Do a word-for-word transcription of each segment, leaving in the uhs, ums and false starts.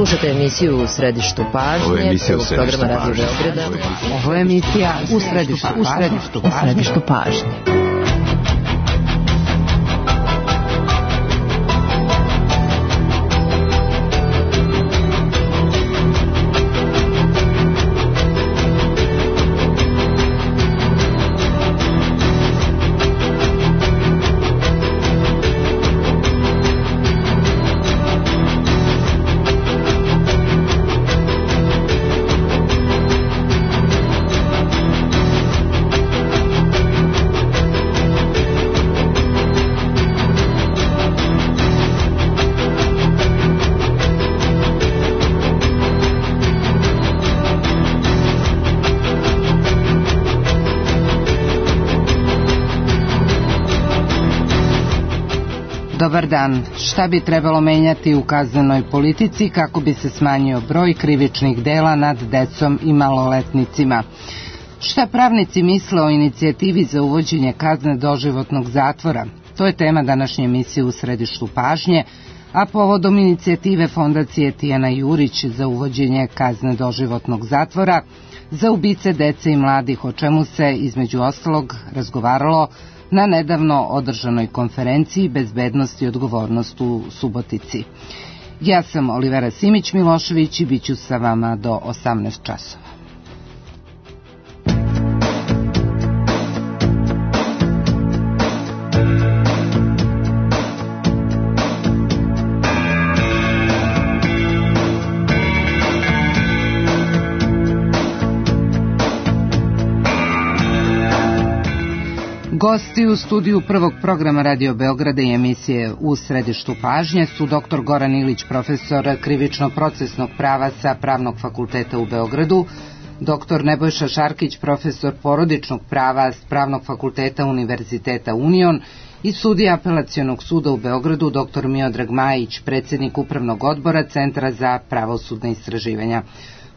Slušate emisiju U središtu pažnje, prvog programa Radio Beograda. Ovo je emisija U središtu pažnje. U središtu pažnje. Dobar dan. Šta bi trebalo menjati u kaznenoj politici kako bi se smanjio broj krivičnih dela nad decom i maloletnicima? Šta pravnici misle o inicijativi za uvođenje kazne doživotnog zatvora? To je tema današnje emisije U središtu pažnje, a povodom inicijative Fondacije Tijana Jurić za uvođenje kazne doživotnog zatvora za ubice dece i mladih, o čemu se između ostalog razgovaralo na nedavno održanoj konferenciji Bezbednost i odgovornost u Subotici. Ja sam Olivera Simić-Milošević i bit ću sa vama do osamnaest časova. Gosti u studiju prvog programa Radio Beograda i emisije U središtu pažnje su doktor Goran Ilić, profesor krivično-procesnog prava sa Pravnog fakulteta u Beogradu, doktor Nebojša Šarkić, profesor porodičnog prava s Pravnog fakulteta Univerziteta Union i sudija Apelacionog suda u Beogradu, doktor Miodrag Majić, predsjednik Upravnog odbora Centra za pravosudne istraživanja.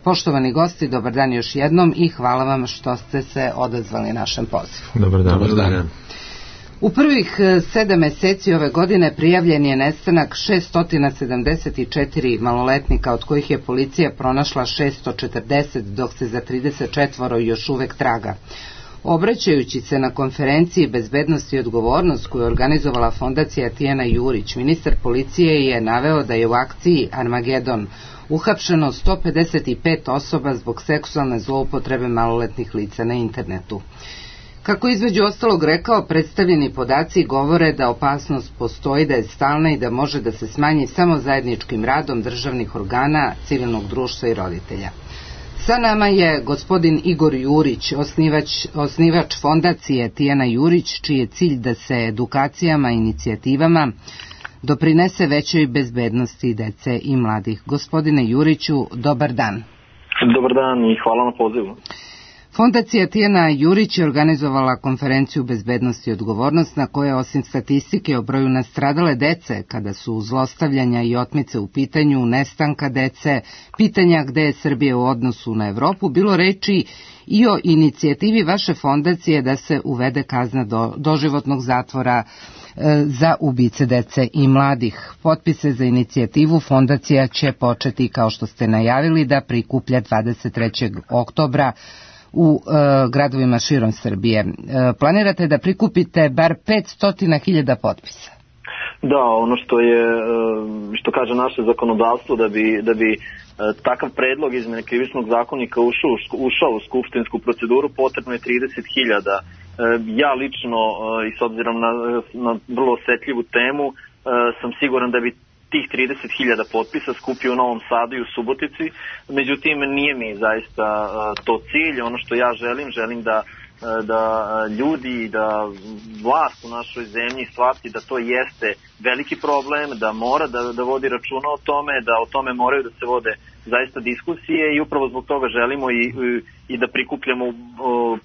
Poštovani gosti, dobar dan još jednom i hvala vam što ste se odazvali našem pozivu. Dobar dan. Dobar dan. U prvih sedam meseci ove godine prijavljen je nestanak šessto sedamdeset četiri maloletnika, od kojih je policija pronašla šessto četrdeset, dok se za trideset četiri još uvek traga. Obraćajući se na konferenciji Bezbednost i odgovornost koju je organizovala Fondacija Tijana Jurić, ministar policije je naveo da je u akciji Armagedon uhapšeno sto pedeset pet osoba zbog seksualne zloupotrebe maloletnih lica na internetu. Kako između ostalog rekao, predstavljeni podaci govore da opasnost postoji, da je stalna i da može da se smanji samo zajedničkim radom državnih organa, civilnog društva i roditelja. Sa nama je gospodin Igor Jurić, osnivač, osnivač Fondacije Tijana Jurić, čiji je cilj da se edukacijama i inicijativama doprinese većoj bezbednosti dece i mladih. Gospodine Juriću, dobar dan. Dobar dan i hvala na pozivu. Fondacija Tijana Jurić je organizovala konferenciju Bezbednost i odgovornost, na kojoj osim statistike o broju nastradale dece kada su zlostavljanja i otmice u pitanju, nestanka dece, pitanja gde je Srbija u odnosu na Evropu, bilo reči i o inicijativi vaše fondacije da se uvede kazna do, doživotnog zatvora za ubice dece i mladih. Potpise za inicijativu fondacija će početi, kao što ste najavili, da prikuplja dvadeset trećeg oktobra u e, gradovima širom Srbije. E, planirate da prikupite bar petsto hiljada potpisa? Da, ono što je, što kaže naše zakonodavstvo, da bi, da bi takav predlog izmene krivičnog zakonika ušao, ušao u skupštinsku proceduru, potrebno je trideset hiljada. Ja lično, i s obzirom na, na vrlo osetljivu temu, sam siguran da bi tih trideset hiljada potpisa skupio u Novom Sadu i u Subotici. Međutim, nije mi zaista to cilj. Ono što ja želim, želim da da ljudi, da vlast u našoj zemlji shvati da to jeste veliki problem, da mora da, da vodi računa o tome, da o tome moraju da se vode zaista diskusije i upravo zbog toga želimo i, i da prikupljamo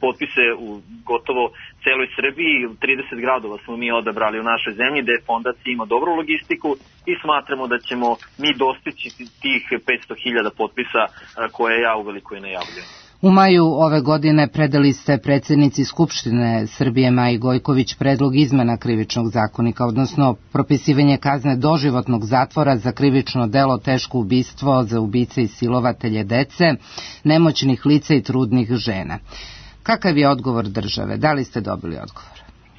potpise u gotovo celoj Srbiji. trideset gradova smo mi odabrali u našoj zemlji gde fondacija ima dobru logistiku i smatramo da ćemo mi dostići tih petsto hiljada potpisa koje ja uveliko i najavljujem. U maju ove godine predali ste predsjednici Skupštine Srbije Maji Gojković predlog izmena krivičnog zakonika, odnosno propisivanje kazne doživotnog zatvora za krivično delo teško ubistvo za ubice i silovatelje dece, nemoćnih lica i trudnih žena. Kakav je odgovor države? Da li ste dobili odgovor?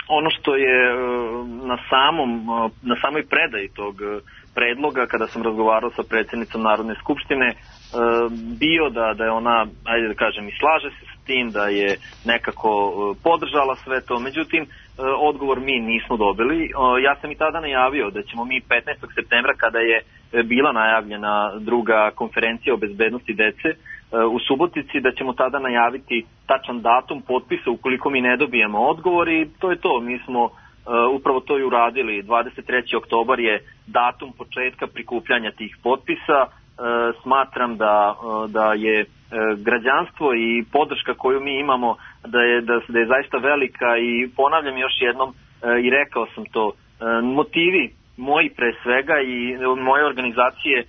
Ono što je na samom, na samoj predaji tog predloga, kada sam razgovarao sa predsjednicom Narodne skupštine, bio da, da je ona, ajde da kažem, i slaže se s tim, da je nekako podržala sve to. Međutim, odgovor mi nismo dobili. Ja sam i tada najavio da ćemo mi petnaestog septembra, kada je bila najavljena druga konferencija o bezbednosti dece u Subotici, da ćemo tada najaviti tačan datum potpisa ukoliko mi ne dobijemo odgovor, i to je to. Mi smo upravo to i uradili. dvadeset treći oktobar je datum početka prikupljanja tih potpisa. Smatram da, da je građanstvo i podrška koju mi imamo da je, da, da je zaista velika, i ponavljam još jednom i rekao sam to, motivi moji pre svega i moje organizacije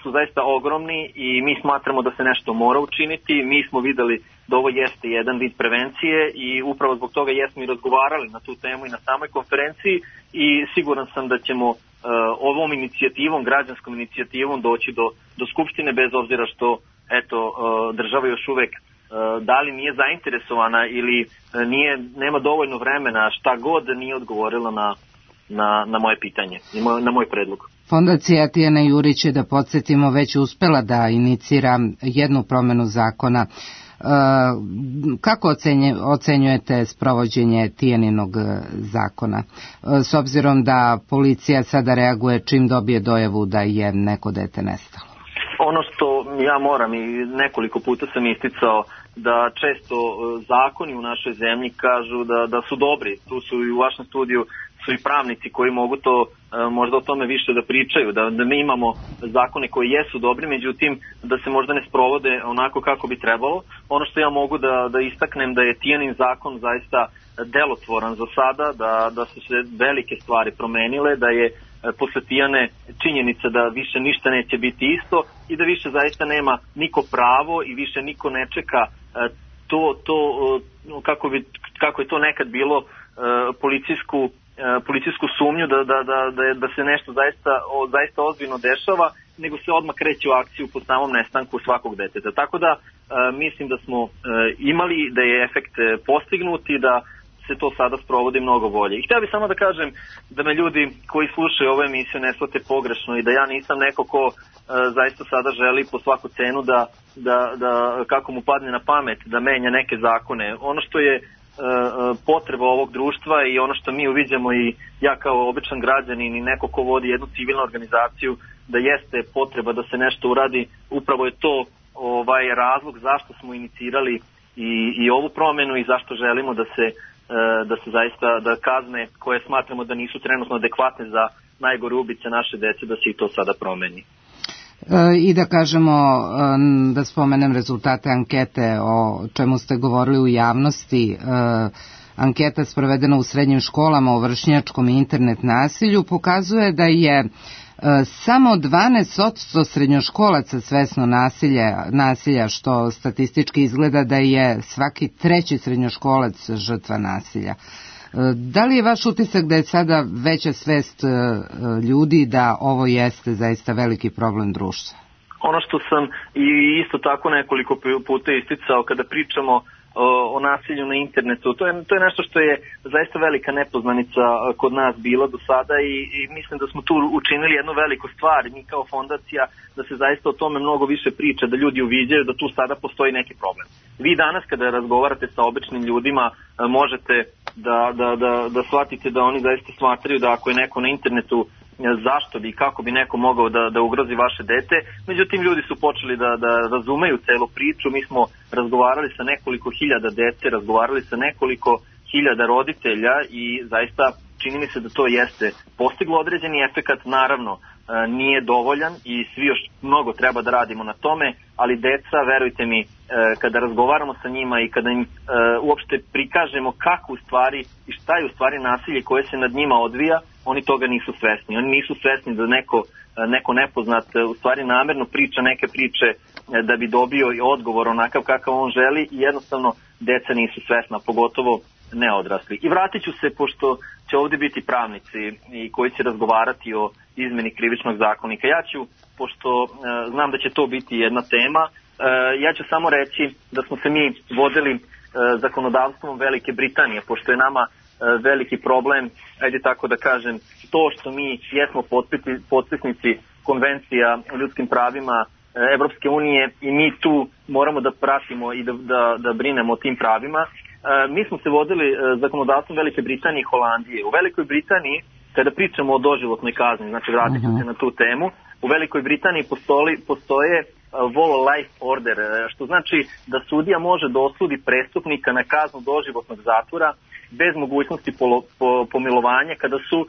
su zaista ogromni i mi smatramo da se nešto mora učiniti. Mi smo videli da ovo jeste jedan vid prevencije i upravo zbog toga jesmo i razgovarali na tu temu i na samoj konferenciji, i siguran sam da ćemo uh, ovom inicijativom, građanskom inicijativom doći do, do Skupštine, bez obzira što eto, uh, država još uvek uh, da li nije zainteresovana ili uh, nije, nema dovoljno vremena, šta god nije odgovorila na Na, na moje pitanje, na moj predlog. Fondacija Tijana Jurić je, da podsjetimo, već uspela da inicira jednu promenu zakona. E, kako ocenje, ocenjujete sprovođenje Tijaninog zakona? E, s obzirom da policija sada reaguje čim dobije dojavu da je neko dete nestalo. Ono što ja moram, i nekoliko puta sam isticao, da često zakoni u našoj zemlji kažu da, da su dobri. Tu su i u vašem studiju su i pravnici koji mogu to možda o tome više da pričaju, da, da mi imamo zakone koji jesu dobri, međutim da se možda ne sprovode onako kako bi trebalo. Ono što ja mogu da, da istaknem da je Tijanin zakon zaista delotvoran za sada, da, da su se velike stvari promenile, da je posle Tijane činjenica da više ništa neće biti isto i da više zaista nema niko pravo i više niko ne čeka to, to kako, bi, kako je to nekad bilo policijsku policijsku sumnju da, da, da, da, da se nešto zaista, o, zaista ozbiljno dešava, nego se odmah kreće u akciju po samom nestanku svakog deteta. Tako da e, mislim da smo e, imali, da je efekt postignut i da se to sada sprovodi mnogo bolje. I htio bih samo da kažem da me ljudi koji slušaju ovu emisiju ne shvate pogrešno i da ja nisam neko ko e, zaista sada želi po svaku cenu da, da, da kako mu padne na pamet da menja neke zakone. Ono što je potreba ovog društva i ono što mi uviđamo, i ja kao običan građanin i neko ko vodi jednu civilnu organizaciju, da jeste potreba da se nešto uradi. Upravo je to ovaj razlog zašto smo inicirali i, i ovu promenu i zašto želimo da se, da se zaista da kazne koje smatramo da nisu trenutno adekvatne za najgore ubice naše dece, da se i to sada promeni. I da kažemo, da spomenem rezultate ankete o čemu ste govorili u javnosti. Anketa sprovedena u srednjim školama o vršnjačkom i internet nasilju pokazuje da je samo dvanaest posto srednjoškolaca svesno nasilja, nasilja, što statistički izgleda da je svaki treći srednjoškolac žrtva nasilja. Da li je vaš utisak da je sada veća svest ljudi da ovo jeste zaista veliki problem društva? Ono što sam i isto tako nekoliko puta isticao kada pričamo o, o nasilju na internetu, to je, to je nešto što je zaista velika nepoznanica kod nas bila do sada i, i mislim da smo tu učinili jednu veliku stvar, mi kao fondacija, da se zaista o tome mnogo više priča, da ljudi uviđaju da tu sada postoji neki problem. Vi danas kada razgovarate sa običnim ljudima možete da, da, da, da shvatite da oni zaista smatraju da ako je neko na internetu, zašto bi i kako bi neko mogao da, da ugrozi vaše dete. Međutim, ljudi su počeli da, da razumeju celu priču. Mi smo razgovarali sa nekoliko hiljada dece, razgovarali sa nekoliko hiljada roditelja i zaista čini mi se da to jeste postiglo određeni efekat. Naravno, nije dovoljan i svi još mnogo treba da radimo na tome, ali deca, verujte mi, kada razgovaramo sa njima i kada im uopšte prikažemo kako u stvari i šta je u stvari nasilje koje se nad njima odvija, oni toga nisu svesni. Oni nisu svesni da neko, neko nepoznat u stvari namerno priča neke priče da bi dobio i odgovor onakav kakav on želi i jednostavno deca nisu svesna, pogotovo ne odrasli. I vratit ću se, pošto će ovdje biti pravnici i koji će razgovarati o izmeni krivičnog zakonika. Ja ću, pošto e, znam da će to biti jedna tema, e, ja ću samo reći da smo se mi vodili e, zakonodavstvom Velike Britanije, pošto je nama e, veliki problem, ajde tako da kažem, to što mi jesmo potpisnici konvencija o ljudskim pravima Evropske unije i mi tu moramo da pratimo i da, da, da brinemo o tim pravima. E, mi smo se vodili e, zakonodavstvom Velike Britanije i Holandije. U Velikoj Britaniji, kada pričamo o doživotnoj kazni, znači vratit ću se na tu temu, u Velikoj Britaniji postoji, postoje whole life order, što znači da sudija može da osudi prestupnika na kaznu doživotnog zatvora bez mogućnosti polo, po, pomilovanja kada su e,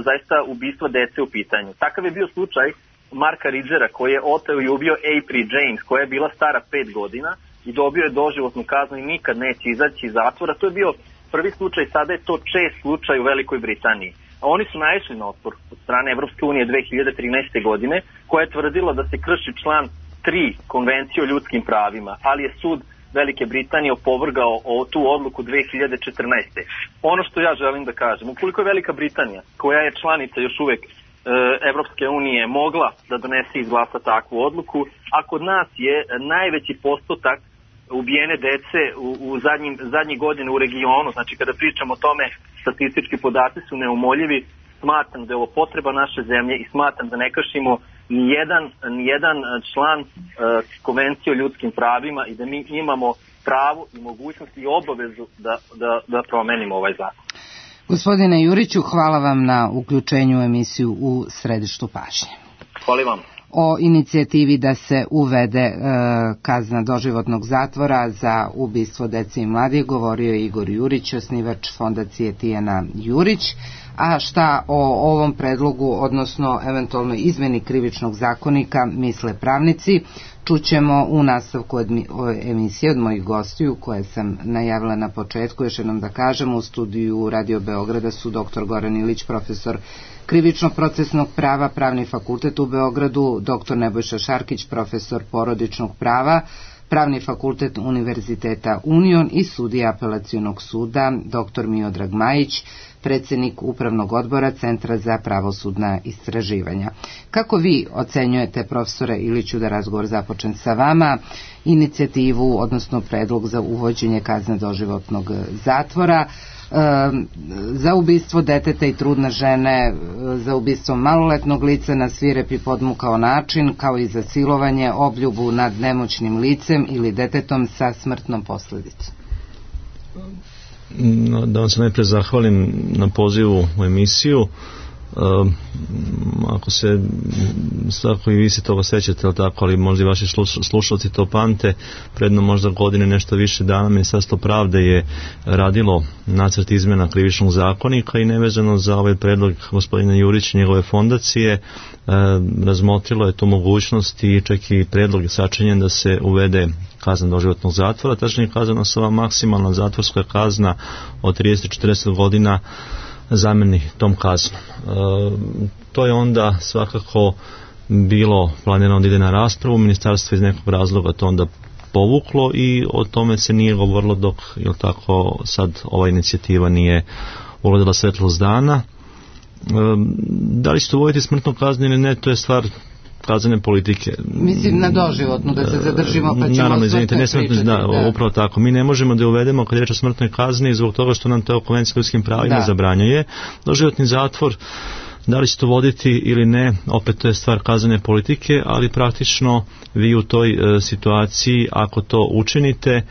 zaista ubistva dece u pitanju. Takav je bio slučaj Marka Ridgera koji je oteo i ubio April James koja je bila stara pet godina i dobio je doživotnu kaznu i nikad neće izaći iz zatvora. To je bio prvi slučaj, sada je to čest slučaj u Velikoj Britaniji. A oni su naišli na otpor od strane Evropske unije dve hiljade trinaeste. godine koja je tvrdila da se krši član tri konvencije o ljudskim pravima, ali je sud Velike Britanije opovrgao o tu odluku dve hiljade četrnaeste. Ono što ja želim da kažem, ukoliko je Velika Britanija, koja je članica još uvek Evropske unije, mogla da donese i izglasa takvu odluku, a kod nas je najveći postotak ubijene dece u, u zadnjim, zadnjih godina u regionu, znači kada pričamo o tome, statistički podaci su neumoljivi, smatram da je ovo potreba naše zemlje i smatram da ne kršimo nijedan, nijedan član uh, konvencije o ljudskim pravima i da mi imamo pravo i mogućnost i obavezu da, da, da promenimo ovaj zakon. Gospodine Juriću, hvala vam na uključenju u emisiju u Središtu pažnje. Hvala vam. O inicijativi da se uvede e, kazna doživotnog zatvora za ubistvo dece i mladih govorio je Igor Jurić, osnivač fondacije Tijana Jurić. A šta o ovom predlogu, odnosno eventualno izmeni krivičnog zakonika misle pravnici, čućemo u nastavku emisije od mojih gostiju koje sam najavila na početku. Još jednom da kažem, u studiju Radio Beograda su doktor Goran Ilić, profesor krivično-procesnog prava, Pravni fakultet u Beogradu, doktor Nebojša Šarkić, profesor porodičnog prava, Pravni fakultet Univerziteta Union i sudija apelacionog suda, doktor Miodrag Majić, predsjednik Upravnog odbora Centra za pravosudna istraživanja. Kako vi ocenjujete, profesore Iliću, da razgovor započen sa vama, inicijativu, odnosno predlog za uvođenje kazne doživotnog zatvora, za ubistvo deteta i trudne žene, za ubistvo maloletnog lica na svirep i podmukao način, kao i za silovanje, obljubu nad nemoćnim licem ili detetom sa smrtnom posljedicom? Da vam se najprije zahvalim na pozivu u emisiju. Uh, ako se svako i vi se toga sećate, ali tako, ali možda i vaši slušalci to pamte, predno možda godine nešto više dana Ministarstvo pravde je radilo nacrt izmjena krivičnog zakonika i nevezano za ovaj predlog gospodina Jurića i njegove fondacije uh, razmotrilo je tu mogućnost i čak i predlog je sačinjen da se uvede kazna doživotnog zatvora, tačnije kazana se ova maksimalna zatvorska kazna od trideset do četrdeset godina zameni tom kaznom. E, to je onda svakako bilo planirano da ide na raspravu, ministarstvo iz nekog razloga to onda povuklo i o tome se nije govorilo dok, jel tako, sad ova inicijativa nije ugledala svetlost dana. E, da li će to uvoditi smrtnu kaznu ili ne, to je stvar kaznene politike. Mislim na doživotnu, da se zadržimo pa ćemo naravno, izvinite, ne pričati. Da, da, upravo tako. Mi ne možemo da uvedemo kad je reč o smrtnoj kazni zbog toga što nam to konvencija o ljudskim pravima da. zabranjuje. Doživotni zatvor, da li će to voditi ili ne, opet to je stvar kaznene politike, ali praktično vi u toj e, situaciji, ako to učinite,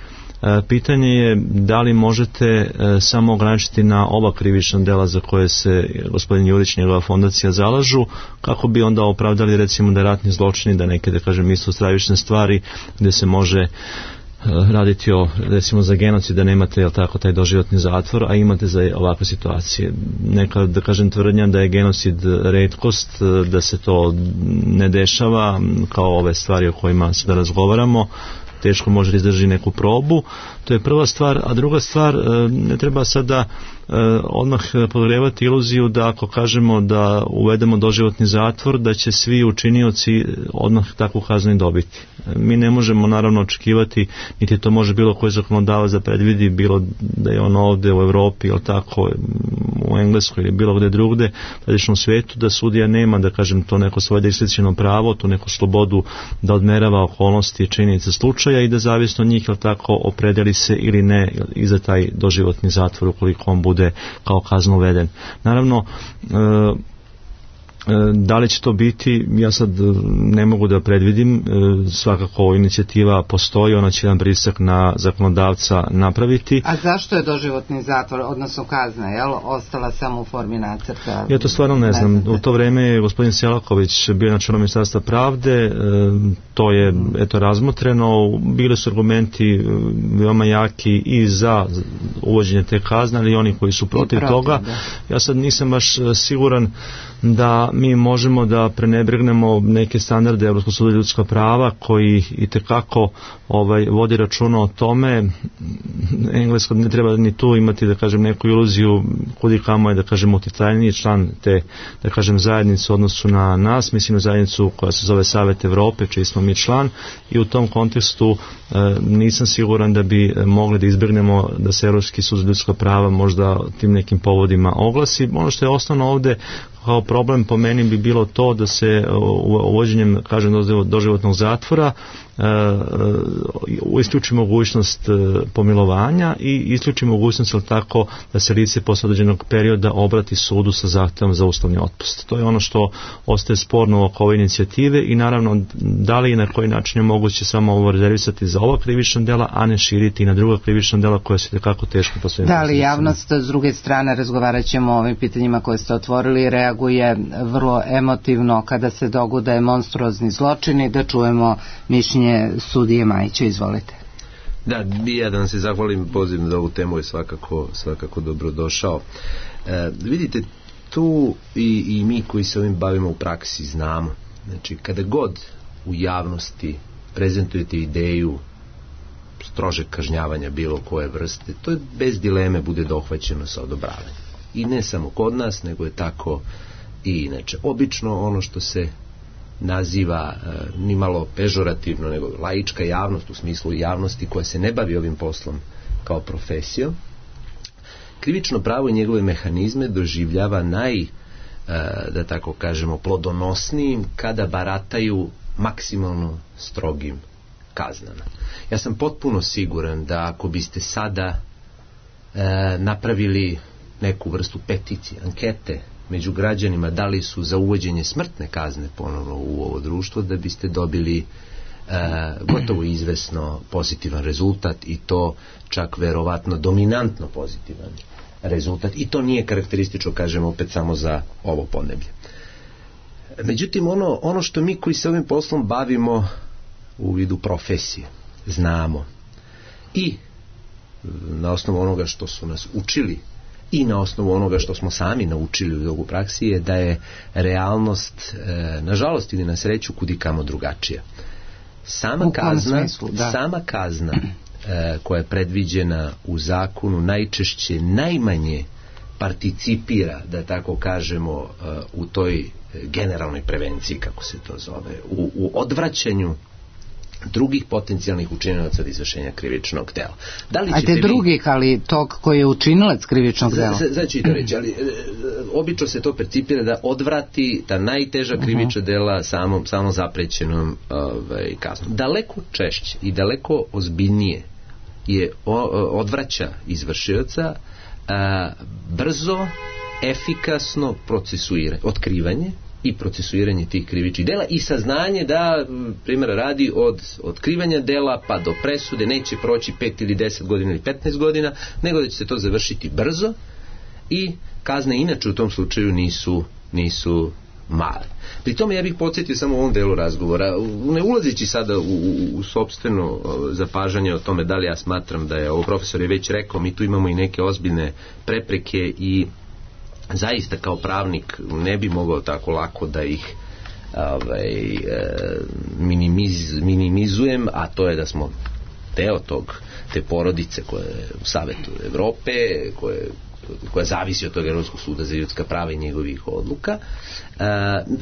pitanje je da li možete e, samo ograničiti na ova krivična dela za koje se gospodin Jurić i njegova fondacija zalažu, kako bi onda opravdali recimo da ratni zločini, da neke, da kažem, isto stravične stvari gdje se može e, raditi o, recimo za genocid, da nemate, jel tako, taj doživotni zatvor, a imate za ovakve situacije. Neka, da kažem, tvrdnja da je genocid retkost, da se to ne dešava kao ove stvari o kojima sada razgovaramo, teško može da izdrži neku probu. To je prva stvar, a druga stvar, ne treba sada odmah podgrevati iluziju da ako kažemo da uvedemo doživotni zatvor, da će svi učinioci odmah takvu kaznu i dobiti. Mi ne možemo naravno očekivati, niti to može bilo koji zakonodavac da predvidi, bilo da je on ovde u Evropi ili tako u Engleskoj ili bilo gde drugde, tradično u svijetu, da sudija nema, da kažem, to neko svoje diskreciono pravo, tu neku slobodu da odmerava okolnosti i činjenice slučaja i da zavisno od njih, ili tako, opredeli se ili ne i za taj doživotni zatvor ukoliko on bude kao kazno uveden. Naravno, e, da li će to biti, ja sad ne mogu da predvidim, svakako inicijativa postoji, ona će jedan pritisak na zakonodavca napraviti. A zašto je doživotni zatvor, odnosno kazna, jel, ostala samo u formi nacrta? Ja to stvarno ne znam. U to vreme je gospodin Selaković bio na čelu Ministarstva pravde, to je eto razmotreno, bili su argumenti veoma jaki i za uvođenje te kazne, ali i oni koji su protiv, protiv toga. Da. Ja sad nisam baš siguran da mi možemo da prenebregnemo neke standarde Evropskog suda za ljudska prava koji itekako ovaj, vodi računa o tome. Englesko ne treba ni tu imati, da kažem, neku iluziju kudi kamo je, da kažem, utjecajniji član te, da kažem, zajednice u odnosu na nas, mislim na zajednicu koja se zove Savet Evrope, čiji smo mi član, i u tom kontekstu e, nisam siguran da bi mogli da izbjegnemo da se Evropski sud za ljudska prava možda tim nekim povodima oglasi. Ono što je osnovno ovde kao problem po meni bi bilo to da se uvođenjem, kažem, doživotnog zatvora isključi mogućnost pomilovanja i isključi mogućnost, ali tako, da se lice posle određenog perioda obrati sudu sa zahtevom za uslovni otpust. To je ono što ostaje sporno oko ove inicijative i naravno da li i na koji način je moguće samo ovo rezervisati za ova krivična dela, a ne širiti i na druga krivična dela koja se tekako teško po svojim. Da li javnost s druge strane, razgovarat ćemo o ovim pitanjima koje ste otvorili, reaguje vrlo emotivno kada se dogode monstruozni zločini, da čujemo mišljenje sudije Majića, izvolite. Da, ja da vam se zahvalim, poziv na ovu temu je svakako, svakako dobrodošao. E, vidite, tu i, i mi koji se ovim bavimo u praksi znamo, znači kada god u javnosti prezentujete ideju strožeg kažnjavanja bilo koje vrste, to je bez dileme bude dohvaćeno sa odobravanjem. I ne samo kod nas, nego je tako i inače. Obično ono što se naziva e, ni malo pežorativno, nego laička javnost, u smislu javnosti koja se ne bavi ovim poslom kao profesijom, krivično pravo i njegove mehanizme doživljava naj, e, da tako kažemo, plodonosnijim kada barataju maksimalno strogim kaznama. Ja sam potpuno siguran da ako biste sada e, napravili neku vrstu peticije, ankete među građanima da li su za uvođenje smrtne kazne ponovno u ovo društvo, da biste dobili e, gotovo izvesno pozitivan rezultat, i to čak verovatno dominantno pozitivan rezultat, i to nije karakteristično, kažem opet, samo za ovo podneblje. Međutim, ono, ono što mi koji se ovim poslom bavimo u vidu profesije znamo i na osnovu onoga što su nas učili i na osnovu onoga što smo sami naučili u praksi je da je realnost, e, nažalost ili na sreću, kudikamo drugačija. Sama kazna, smislu, sama kazna e, koja je predviđena u zakonu najčešće najmanje participira, da tako kažemo, e, u toj generalnoj prevenciji, kako se to zove, u, u odvraćanju drugih potencijalnih učinilaca od izvršenja krivičnog dela. Da li Ajde drugih, vi... ali tog koji je učinilac krivičnog dela? Znači to reći, ali e, obično se to percipira da odvrati ta najteža krivična dela samom, samom zaprećenom ovaj, kaznom. Daleko češće i daleko ozbiljnije je o, odvraća izvršioca a, brzo, efikasno procesuiranje, otkrivanje i procesuiranje tih krivičnih dela i saznanje da, primjera radi, od otkrivanja dela pa do presude neće proći pet ili deset godina ili petnaest godina, nego da će se to završiti brzo i kazne inače u tom slučaju nisu, nisu male. Pri tome ja bih podsjetio samo u ovom delu razgovora, ne ulazeći sada u, u, u sopstveno zapažanje o tome da li ja smatram da je, ovo profesor je već rekao, mi tu imamo i neke ozbiljne prepreke i zaista kao pravnik ne bi mogao tako lako da ih ovaj, minimiz, minimizujem, a to je da smo deo tog, te porodice koja je u Savetu Evrope, koje, koja zavisi od tog Evropskog suda za ljudska prava i njegovih odluka. E,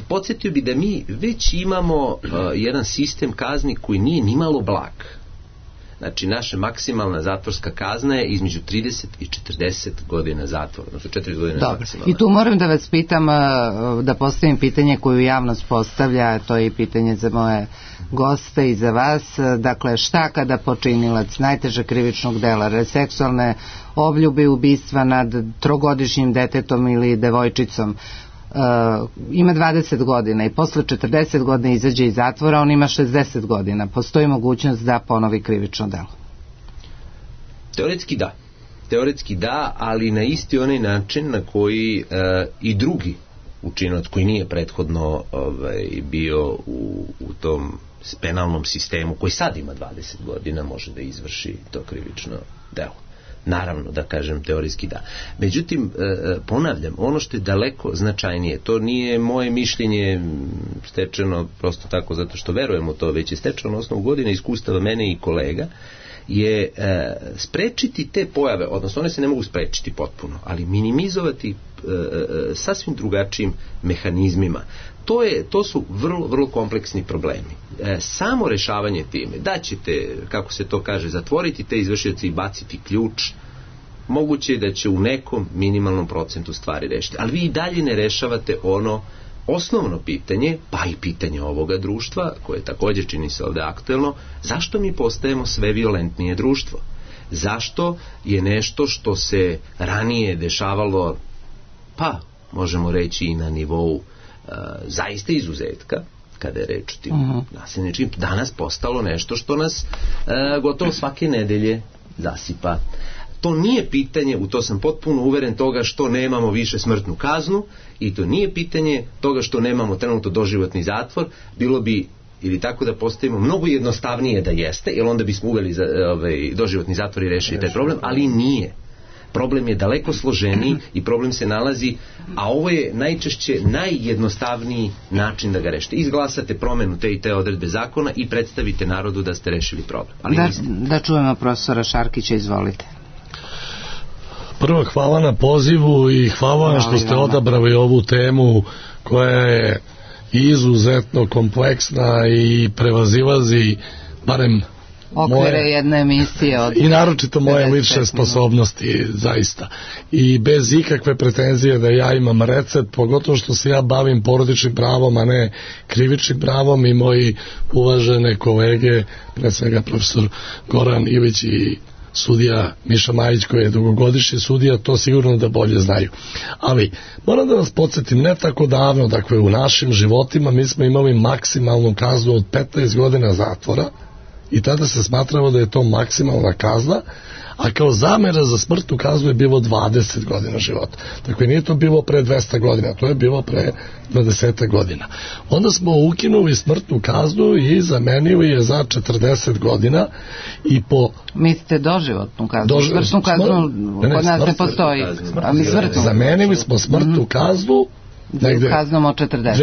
podsjetio bi da mi već imamo e, jedan sistem kazni koji nije nimalo blag. Znači, naša maksimalna zatvorska kazna je između trideset i četrdeset godina zatvora, odnosno četrdeset godina Dobro. maksimalna. I tu moram da vas pitam, da postavim pitanje koju javnost postavlja, to je i pitanje za moje goste i za vas. Dakle, šta kada počinilac najtežeg krivičnog dela, seksualne obljubi, ubistva nad trogodišnjim detetom ili devojčicom, Uh, ima dvadeset godina i posle četrdeset godina izađe iz zatvora, on ima šezdeset godina. Postoji mogućnost da ponovi krivično delo? Teoretski da. Teoretski da, ali na isti onaj način na koji uh, i drugi učinilac koji nije prethodno ovaj, bio u, u tom penalnom sistemu, koji sad ima dvadeset godina, može da izvrši to krivično delo. Naravno, da kažem, teorijski da. Međutim, ponavljam, ono što je daleko značajnije, to nije moje mišljenje stečeno prosto tako zato što verujem u to, već je stečeno na osnovu godina iskustava mene i kolega, je sprečiti te pojave, odnosno one se ne mogu sprečiti potpuno, ali minimizovati sasvim drugačijim mehanizmima. To, je, to su vrlo, vrlo kompleksni problemi. E, samo rešavanje time, da ćete, kako se to kaže, zatvoriti te izvršioce i baciti ključ, moguće je da će u nekom minimalnom procentu stvari rešiti. Ali vi i dalje ne rešavate ono osnovno pitanje, pa i pitanje ovoga društva, koje također čini se ovde aktuelno, zašto mi postajemo sve violentnije društvo? Zašto je nešto što se ranije dešavalo, pa možemo reći i na nivou Uh, zaista izuzetka, kada je reč o tim uh-huh. nasilničkim, danas postalo nešto što nas uh, gotovo svake nedelje zasipa. To nije pitanje, u to sam potpuno uveren, toga što nemamo više smrtnu kaznu, i to nije pitanje toga što nemamo trenutno doživotni zatvor. Bilo bi, ili tako da postavimo, mnogo jednostavnije da jeste, jer onda bismo uveli za, ovaj, doživotni zatvor i rešili taj problem, ali nije. Problem je daleko složeniji i problem se nalazi, a ovo je najčešće najjednostavniji način da ga rešite. Izglasate promenu te i te odredbe zakona i predstavite narodu da ste rešili problem. Ali da, da čujemo profesora Šarkića, izvolite. Prvo, hvala na pozivu i hvala vam što ste odabrali ovu temu koja je izuzetno kompleksna i prevazilazi barem okvire jedne emisije od i naročito moje lične sposobnosti, zaista, i bez ikakve pretenzije da ja imam recept, pogotovo što se ja bavim porodičnim pravom, a ne krivičnim pravom, i moji uvažene kolege, pre svega profesor Goran Ilić i sudija Miša Majić, koji je dugogodišnji sudija, to sigurno da bolje znaju. Ali moram da vas podsjetim, ne tako davno, dakle u našim životima mi smo imali maksimalnu kaznu od petnaest godina zatvora, i tada se smatralo da je to maksimalna kazna, a kao zamera za smrtnu kaznu je bilo dvadeset godina života. Dakle, nije to bilo pre dvesta godina, to je bilo pre dvadeset godina. Onda smo ukinuli smrtnu kaznu i zamenili je za četrdeset godina i po... Mislite doživotnu kaznu? Dož... Smrtnu kaznu ne, ne, kod nas ne postoji. A mi smrtnu. Zamenili smo smrtnu mm-hmm. kaznu negde kaznom od četrdeset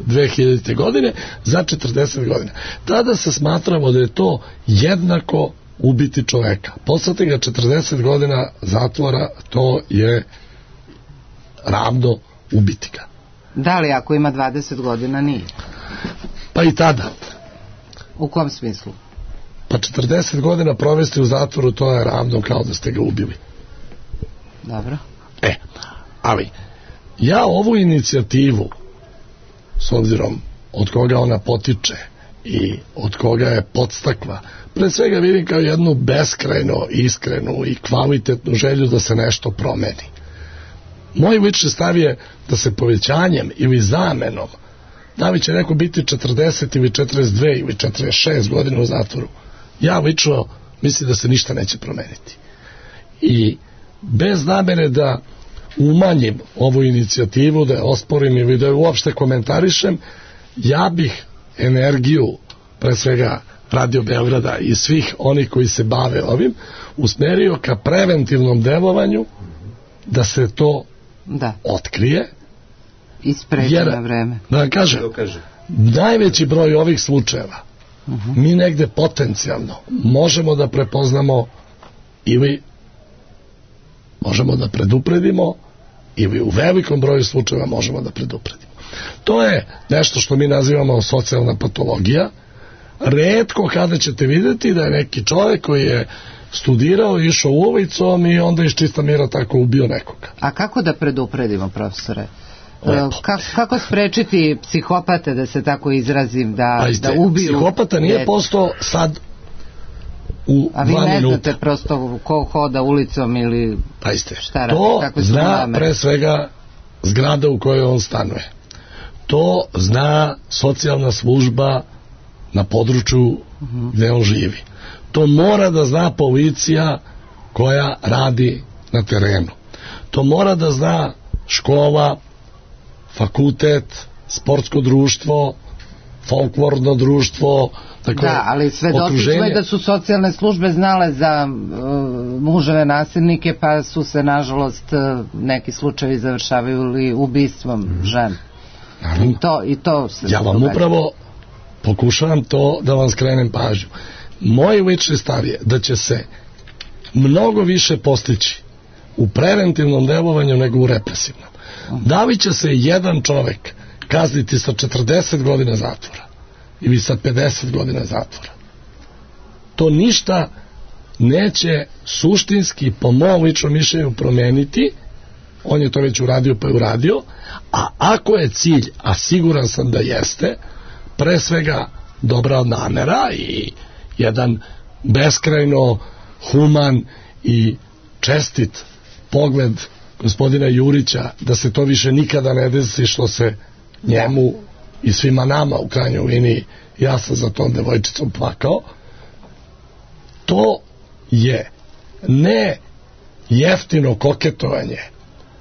dve hiljadite godine za četrdeset godina. Tada se smatralo da je to jednako ubiti čoveka. Poslati ga četrdeset godina zatvora, to je ravno ubiti ga. Da li ako ima dvadeset godina nije? Pa i tada. U kom smislu? Pa četrdeset godina provesti u zatvoru, to je ravno kao da ste ga ubili. Dobro. E, ali ja ovu inicijativu, s obzirom od koga ona potiče i od koga je podstakla, pre svega vidim kao jednu beskrajno iskrenu i kvalitetnu želju da se nešto promeni. Moj lični stav je da se povećanjem ili zamenom, da li će neko biti četrdeset ili četrdeset dve ili četrdeset šest godina u zatvoru, ja lično mislim da se ništa neće promeniti. I bez namere da umanjim ovu inicijativu, da je osporim ili da je uopšte komentarišem, ja bih energiju, pre svega Radio Beograda i svih onih koji se bave ovim, usmerio ka preventivnom delovanju da se to da otkrije i spreči na vreme. Da vam kažem, najveći broj ovih slučajeva uh-huh. mi negde potencijalno možemo da prepoznamo ili možemo da predupredimo ili u velikom broju slučajeva možemo da predupredimo. To je nešto što mi nazivamo socijalna patologija. Retko kada ćete vidjeti da je neki čovjek koji je studirao, išao ulicom i onda iz čista mira tako ubio nekoga. A kako da predupredimo, profesore? Ka, kako sprečiti psihopate, da se tako izrazim, da, Pazite, da ubiju? Psihopata nije postao sad u A vi dva ne minuta. znate prosto ko hoda ulicom ili Pazite, šta radi? to Kako zna pre svega zgrada u kojoj on stanuje. To zna socijalna služba na području uh-huh. gde on živi. To mora da zna policija koja radi na terenu. To mora da zna škola, fakultet, sportsko društvo, folklorno društvo. Dakle, da, ali svedoci smo i da su socijalne službe znale za uh, muževe nasilnike, pa su se nažalost uh, neki slučajevi završavaju ubistvom mm. žena. I to, i to se ja vam događa. Upravo pokušavam to da vam skrenem pažnju. Moj lični stav je da će se mnogo više postići u preventivnom delovanju nego u represivnom. Da li će se jedan čovek kazniti sa četrdeset godina zatvora ili sa pedeset godina zatvora? To ništa neće suštinski, po mom ličnom mišljenju, promeniti. On je to već uradio pa je uradio, a ako je cilj, a siguran sam da jeste, pre svega dobra namera i jedan beskrajno human i čestit pogled gospodina Jurića da se to više nikada ne desi što se njemu i svima nama u krajnjoj liniji, ja sam za tom devojčicom plakao, to je ne jeftino koketovanje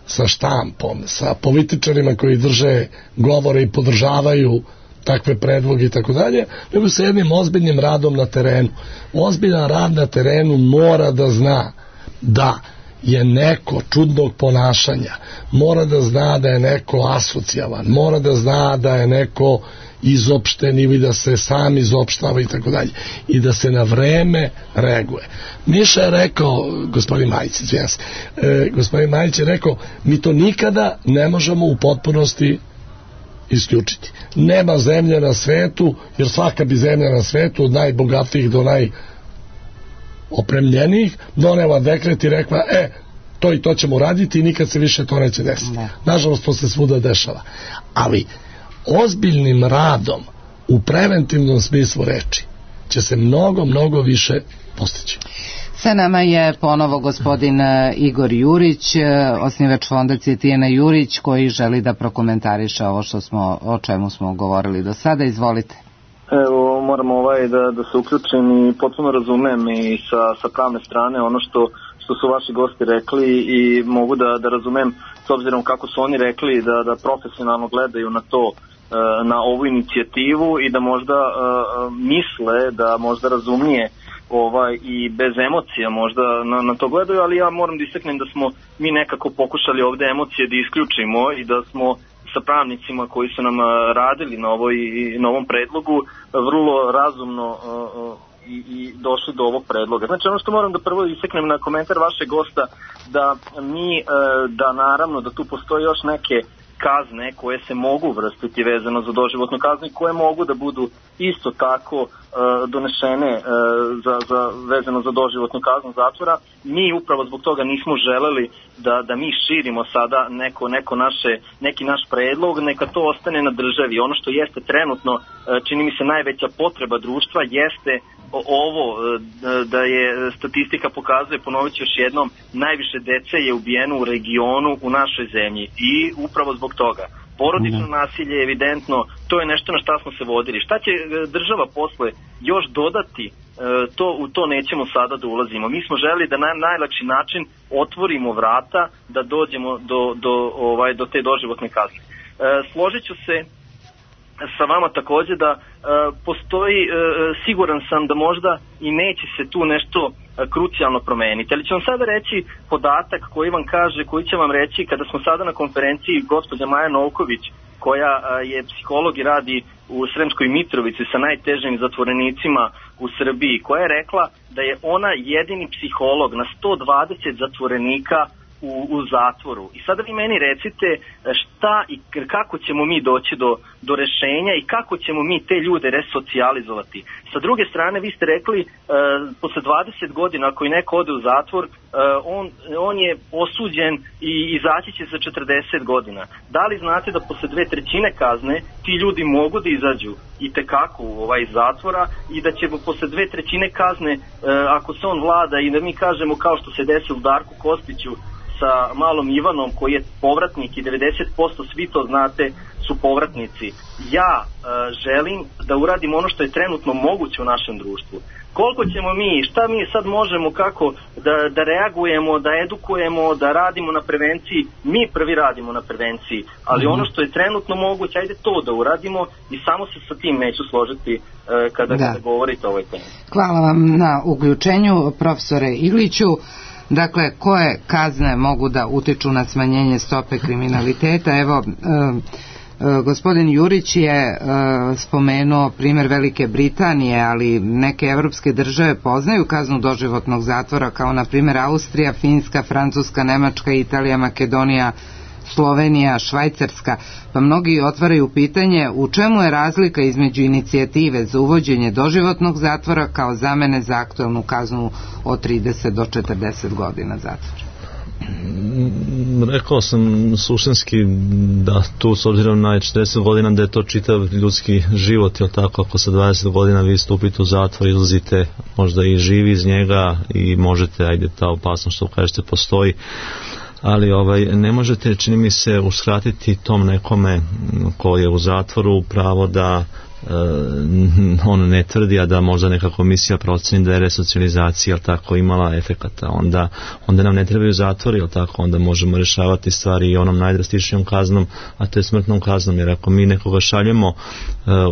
sa štampom, sa političarima koji drže govore i podržavaju takve predloge i tako dalje, nego sa jednim ozbiljnim radom na terenu. Ozbiljan rad na terenu mora da zna da je neko čudnog ponašanja, mora da zna da je neko asocijalan, mora da zna da je neko izopšten ili da se sam izopštava i tako dalje, i da se na vreme reaguje. Miša je rekao, gospodin Majić, izvijem se, e, gospodin Majić je rekao, mi to nikada ne možemo u potpunosti isključiti. Nema zemlje na svetu, jer svaka bi zemlja na svetu od najbogatijih do najopremljenijih donela dekret i rekla, e, to i to ćemo raditi i nikad se više to neće desiti. Ne. Nažalost, to se svuda dešava. Ali ozbiljnim radom u preventivnom smislu reči će se mnogo, mnogo više postići. Sa nama je ponovo gospodin Igor Jurić, osnivač fondacije Tijana Jurić, koji želi da prokomentariše ovo što smo, o čemu smo govorili do sada. Izvolite. Evo, moram ovaj da, da se uključim i potpuno razumem i sa, sa pravne strane ono što, što su vaši gosti rekli i mogu da, da razumem s obzirom kako su oni rekli da, da profesionalno gledaju na to, na ovu inicijativu i da možda uh, misle da možda razumije ovaj, i bez emocija možda na, na to gledaju, ali ja moram da istaknem da smo mi nekako pokušali ovde emocije da isključimo i da smo sa pravnicima koji su nam radili na, ovoj, na ovom predlogu vrlo razumno uh, i, i došli do ovog predloga. Znači ono što moram da prvo istaknem na komentar vašeg gosta, da mi, uh, da naravno da tu postoji još neke kazne koje se mogu vrstiti vezano za doživotnu kaznu i koje mogu da budu isto tako e, donešene e, za, za, vezano za doživotnu kaznu zatvora. Mi upravo zbog toga nismo želeli da, da mi širimo sada neko, neko naše, neki naš predlog, neka to ostane na državi. Ono što jeste trenutno, e, čini mi se najveća potreba društva jeste ovo, da je statistika pokazuje, ponovit ću još jednom, najviše dece je ubijeno u regionu u našoj zemlji i upravo zbog toga. Porodično nasilje je evidentno, to je nešto na šta smo se vodili. Šta će država posle još dodati, to, u to nećemo sada da ulazimo. Mi smo želeli da na najlakši način otvorimo vrata da dođemo do, do, ovaj, do te doživotne kazne. Složit ću se sa vama takođe da e, postoji, e, siguran sam da možda i neće se tu nešto e, krucijalno promeniti. Ali ću vam sada reći podatak koji vam kaže, koji će vam reći kada smo sada na konferenciji gospođa Maja Novković, koja e, je psiholog i radi u Sremskoj Mitrovici sa najtežim zatvorenicima u Srbiji, koja je rekla da je ona jedini psiholog na sto dvadeset zatvorenika U, u zatvoru. I sada vi meni recite šta i kako ćemo mi doći do, do rešenja i kako ćemo mi te ljude resocijalizovati. Sa druge strane, vi ste rekli, e, posle dvadeset godina ako i neko ode u zatvor, e, on, on je osuđen i izaći će za četrdeset godina. Da li znate da posle dve trećine kazne ti ljudi mogu da izađu i tekako ovaj, iz zatvora i da će posle dve trećine kazne, e, ako se on vlada i da mi kažemo kao što se desilo Darku Kostiću sa malom Ivanom koji je povratnik i devedeset posto svi to znate su povratnici. Ja e, želim da uradim ono što je trenutno moguće u našem društvu. Koliko ćemo mi, šta mi sad možemo, kako da, da reagujemo, da edukujemo, da radimo na prevenciji, mi prvi radimo na prevenciji, ali mm-hmm. ono što je trenutno moguće, ajde to da uradimo i samo se sa tim neću složiti e, kada, da. kada govorite o ovoj temi. Hvala vam na uključenju, profesore Igliću. Dakle, koje kazne mogu da utiču na smanjenje stope kriminaliteta? Evo, e, e, gospodin Jurić je e, spomenuo primjer Velike Britanije, ali neke evropske države poznaju kaznu doživotnog zatvora, kao na primjer Austrija, Finska, Francuska, Nemačka, Italija, Makedonija, Slovenija, Švajcarska, pa mnogi otvaraju pitanje u čemu je razlika između inicijative za uvođenje doživotnog zatvora kao zamene za aktuelnu kaznu od trideset do četrdeset godina zatvora. Rekao sam suštinski da tu s obzirom na četrdeset godina da je to čitav ljudski život, jel tako, ako sa dvadeset godina vi stupite u zatvor, izlazite možda i živi iz njega i možete, ajde, ta opasnost što kažete postoji, ali ovaj, ne možete, čini mi se, uskratiti tom nekome ko je u zatvoru pravo da Uh, on ne tvrdi, a da možda neka komisija proceni da je resocijalizacija tako imala efekata, onda, onda nam ne trebaju zatvori, jel tako, onda možemo rešavati stvari i onom najdrastičnijom kaznom, a to je smrtnom kaznom, jer ako mi nekoga šaljemo uh,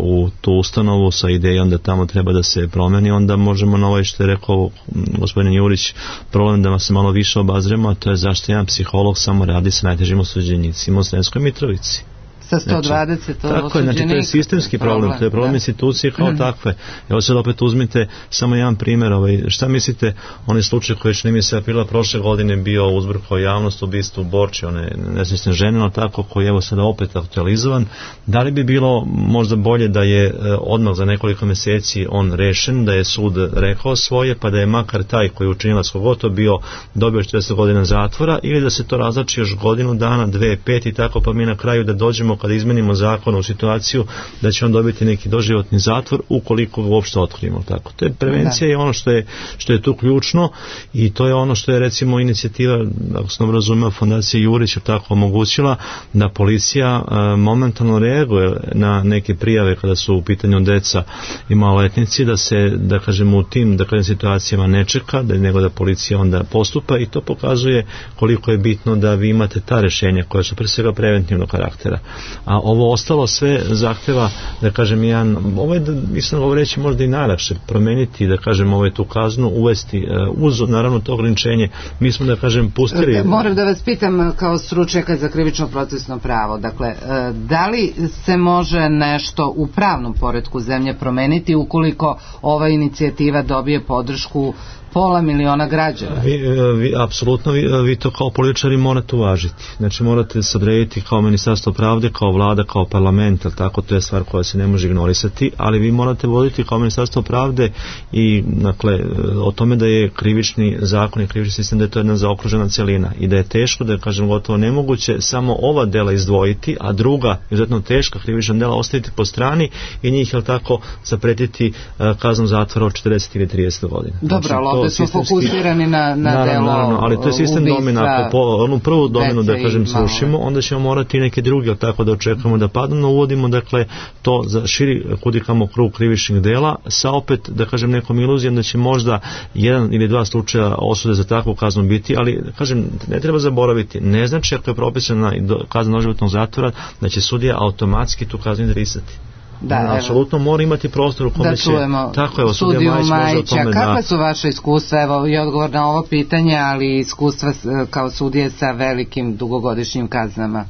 u tu ustanovu sa idejom da tamo treba da se promeni, onda možemo na ovaj što je rekao gospodin Jurić problem da se malo više obazremo, a to je zašto jedan psiholog samo radi sa najtežim osuđenicima u Sremskoj Mitrovici. Sa sto dvadeset znači, tako je, znači to je sistemski problem, problem to je problem da. institucije kao mm. takve. Evo sad opet uzmite samo jedan primjer, ovaj, šta mislite, onaj slučaj koji čini mi se aprila prošle godine bio uzburkao javnost, ubistvo u Borči, one nesrećne žene, no tako, koji je evo sada opet aktualizovan. Da li bi bilo možda bolje da je odmah za nekoliko mjeseci on rešen, da je sud rekao svoje, pa da je makar taj koji je učinilac kogoto bio dobio četrdeset godina zatvora, ili da se to razlači još godinu dana, dve, pet i tako, pa mi na kraju da dođemo kada izmenimo zakon u situaciju da će on dobiti neki doživotni zatvor ukoliko ga uopšte otkrijemo, tako. To je prevencija i ono što je, što je tu ključno, i to je ono što je recimo inicijativa, ako sam razumeo, Fondacija Jurić je tako omogućila da policija e, momentalno reaguje na neke prijave kada su u pitanju deca i maloletnici, da se, da kažemo, u tim, da kažem, situacijama ne čeka, da nego da policija onda postupa, i to pokazuje koliko je bitno da vi imate ta rešenja koja su pre svega preventivnog karaktera. A ovo ostalo sve zahteva, da kažem, jedan, ovo je, mislim, ovo reći možda i najlakše, promeniti, da kažem, ovaj tu kaznu, uvesti uz, naravno, to ograničenje. Mi smo, da kažem, pustili... Moram da vas pitam kao stručnjaka za krivično procesno pravo, dakle, da li se može nešto u pravnom poretku zemlje promeniti ukoliko ova inicijativa dobije podršku pola miliona građana? Vi, vi, apsolutno, vi, vi to kao političari morate uvažiti. Znači morate se odrediti kao Ministarstvo pravde, kao vlada, kao parlament, tako, to je stvar koja se ne može ignorisati, ali vi morate voditi kao Ministarstvo pravde i, dakle, o tome da je krivični zakon i krivični sistem, da je to jedna zaokružena celina i da je teško, da je, kažem, gotovo nemoguće samo ova dela izdvojiti, a druga, izuzetno teška krivična dela, ostaviti po strani i njih, jel tako, zapretiti uh, kaznom zatvora od četrdeset ili trideset godina. Dobro, znači, ovdje smo fokusirani na, na naravno, delo naravno, ali to je sistem domina. Ako po onu prvu dominu, da kažem, srušimo, onda ćemo morati neke druge, tako da očekujemo da padnu, no uvodimo, dakle, to za širi kudikamo krug krivičnih dela, sa opet, da kažem, nekom iluzijom da će možda jedan ili dva slučaja osude za takvu kaznu biti, ali, kažem, ne treba zaboraviti, ne znači ako je propisana kazna doživotnog zatvora da će sudija automatski tu kaznu izrisati. Da, apsolutno mora imati prostor u kome da će, tako je, sudiju Majića. Kakva da... su vaše iskustva, evo i odgovor na ovo pitanje, ali iskustva kao sudije sa velikim dugogodišnjim kaznama?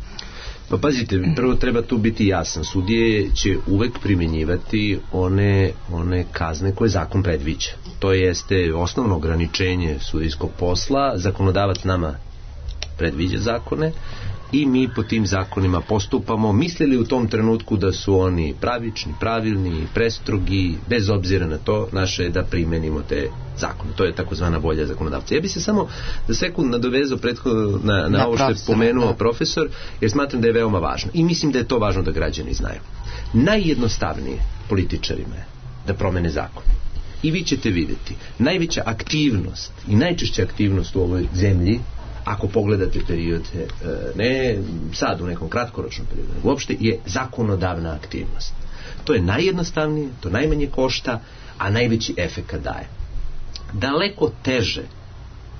Pa pazite, prvo treba tu biti jasan. Sudije će uvek primjenjivati one, one kazne koje zakon predviđa. To jeste osnovno ograničenje sudijskog posla. Zakonodavac nama predviđa zakone i mi po tim zakonima postupamo, mislili u tom trenutku da su oni pravični, pravilni, prestrogi, bez obzira na to, naše je da primenimo te zakone. To je takozvana volja zakonodavca. Ja bi se samo za sekund nadovezao prethodno na, na ovo što je pomenuo profesor, jer smatram da je veoma važno. I mislim da je to važno da građani znaju. Najjednostavnije političarima je da promene zakon. I vi ćete vidjeti, najveća aktivnost i najčešća aktivnost u ovoj zemlji, ako pogledate period, ne sad u nekom kratkoročnom periodu, uopšte je zakonodavna aktivnost. To je najjednostavnije, to najmanje košta, a najveći efekat daje. Daleko teže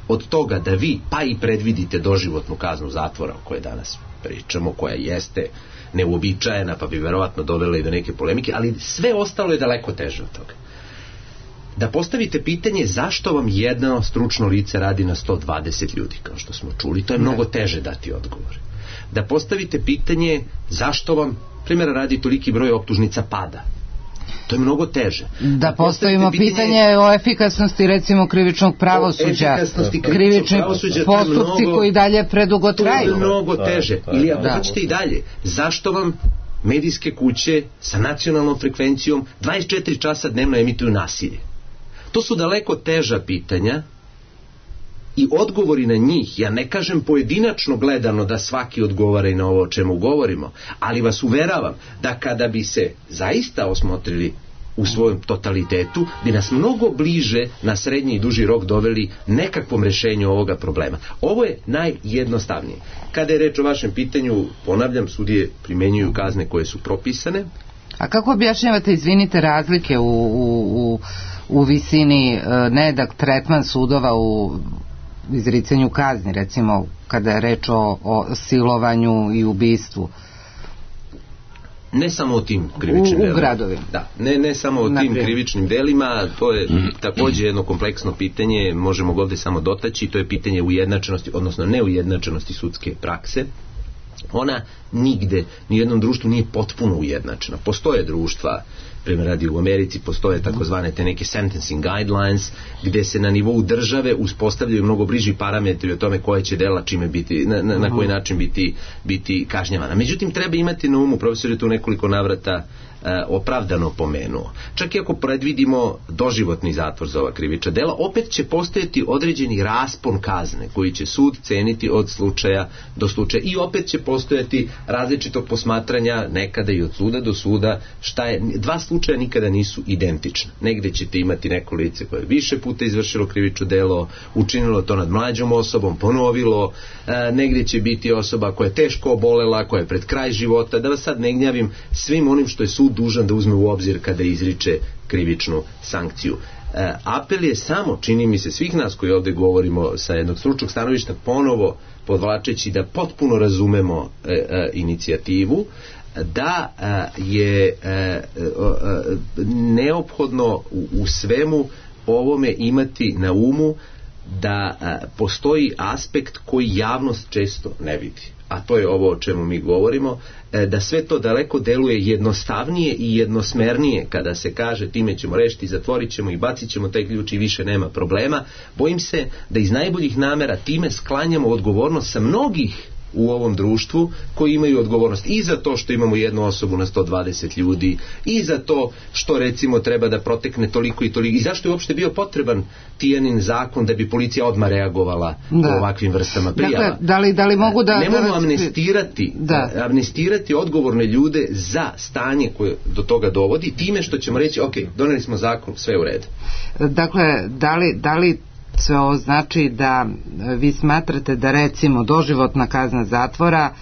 od toga da vi pa i predvidite doživotnu kaznu zatvora o kojoj danas pričamo, koja jeste neuobičajena pa bi verovatno dovela i do neke polemike, ali sve ostalo je daleko teže od toga. Da postavite pitanje zašto vam jedno stručno lice radi na sto dvadeset ljudi, kao što smo čuli, to je mnogo teže dati odgovor. Da postavite pitanje zašto vam, primjera radi, toliki broj optužnica pada, to je mnogo teže. Da, da postavimo pitanje, pitanje o efikasnosti recimo krivičnog pravosuđa, krivični postupci mnogo, koji dalje predugo traju. To je mnogo teže. Ili ako hoćete i dalje, zašto vam medijske kuće sa nacionalnom frekvencijom dvadeset četiri časa dnevno emituju nasilje? To su daleko teža pitanja i odgovori na njih, ja ne kažem pojedinačno gledano da svaki odgovara i na ovo o čemu govorimo, ali vas uveravam da kada bi se zaista osmotrili u svojem totalitetu, bi nas mnogo bliže na srednji i duži rok doveli nekakvom rešenju ovoga problema. Ovo je najjednostavnije. Kada je reč o vašem pitanju, ponavljam, sudije primenjuju kazne koje su propisane. A kako objašnjavate, izvinite, razlike u, u, u, u visini nedak tretman sudova u izricanju kazni, recimo kada je reč o, o silovanju i ubistvu? Ne samo o tim krivičnim delima. U, u gradovima. Da, ne, ne samo o tim krivičnim delima, to je također jedno kompleksno pitanje, možemo ga ovdje samo dotaći, to je pitanje ujednačenosti, odnosno neujednačenosti sudske prakse. Ona nigde, ni u jednom društvu nije potpuno ujednačena. Postoje društva, primjer radi u Americi, postoje takozvane te neke sentencing guidelines, gdje se na nivou države uspostavljaju mnogo bliži parametri o tome koje će dela čime biti, na, na, na koji način biti, biti kažnjavana. Međutim, treba imati na umu, profesor je tu nekoliko navrata e, opravdano pomenuo. Čak i ako predvidimo doživotni zatvor za ova krivična dela, opet će postojati određeni raspon kazne koji će sud ceniti od slučaja do slučaja i opet će postojati različitog posmatranja nekada i od suda do suda. Šta je, dva slučaja nikada nisu identična. Negde ćete imati neko lice koje je više puta izvršilo krivično delo, učinilo to nad mlađom osobom, ponovilo, e, negde će biti osoba koja je teško obolela, koja je pred kraj života, da vas sad ne gnjavim svim onim što je sud dužan da uzme u obzir kada izriče krivičnu sankciju. E, apel je samo, čini mi se, svih nas koji ovdje govorimo sa jednog stručnog stanovišta, ponovo podvlačeći da potpuno razumemo e, e, inicijativu, da a, je a, a, neophodno u, u svemu ovome imati na umu da a, postoji aspekt koji javnost često ne vidi, a to je ovo o čemu mi govorimo, e, da sve to daleko deluje jednostavnije i jednosmernije kada se kaže time ćemo rešiti, zatvorit ćemo i bacit ćemo taj ključ i više nema problema. Bojim se da iz najboljih namera time sklanjamo odgovornost sa mnogih u ovom društvu koji imaju odgovornost i za to što imamo jednu osobu na sto dvadeset ljudi, i za to što recimo treba da protekne toliko i toliko, i zašto je uopšte bio potreban Tijanin zakon da bi policija odmah reagovala da. u ovakvim vrstama prijava. Dakle, da li, da li mogu da... Ne mogu amnestirati, da. amnestirati odgovorne ljude za stanje koje do toga dovodi, time što ćemo reći, ok, doneli smo zakon, sve u redu. Dakle, da li, da li sve ovo znači da vi smatrate da recimo doživotna kazna zatvora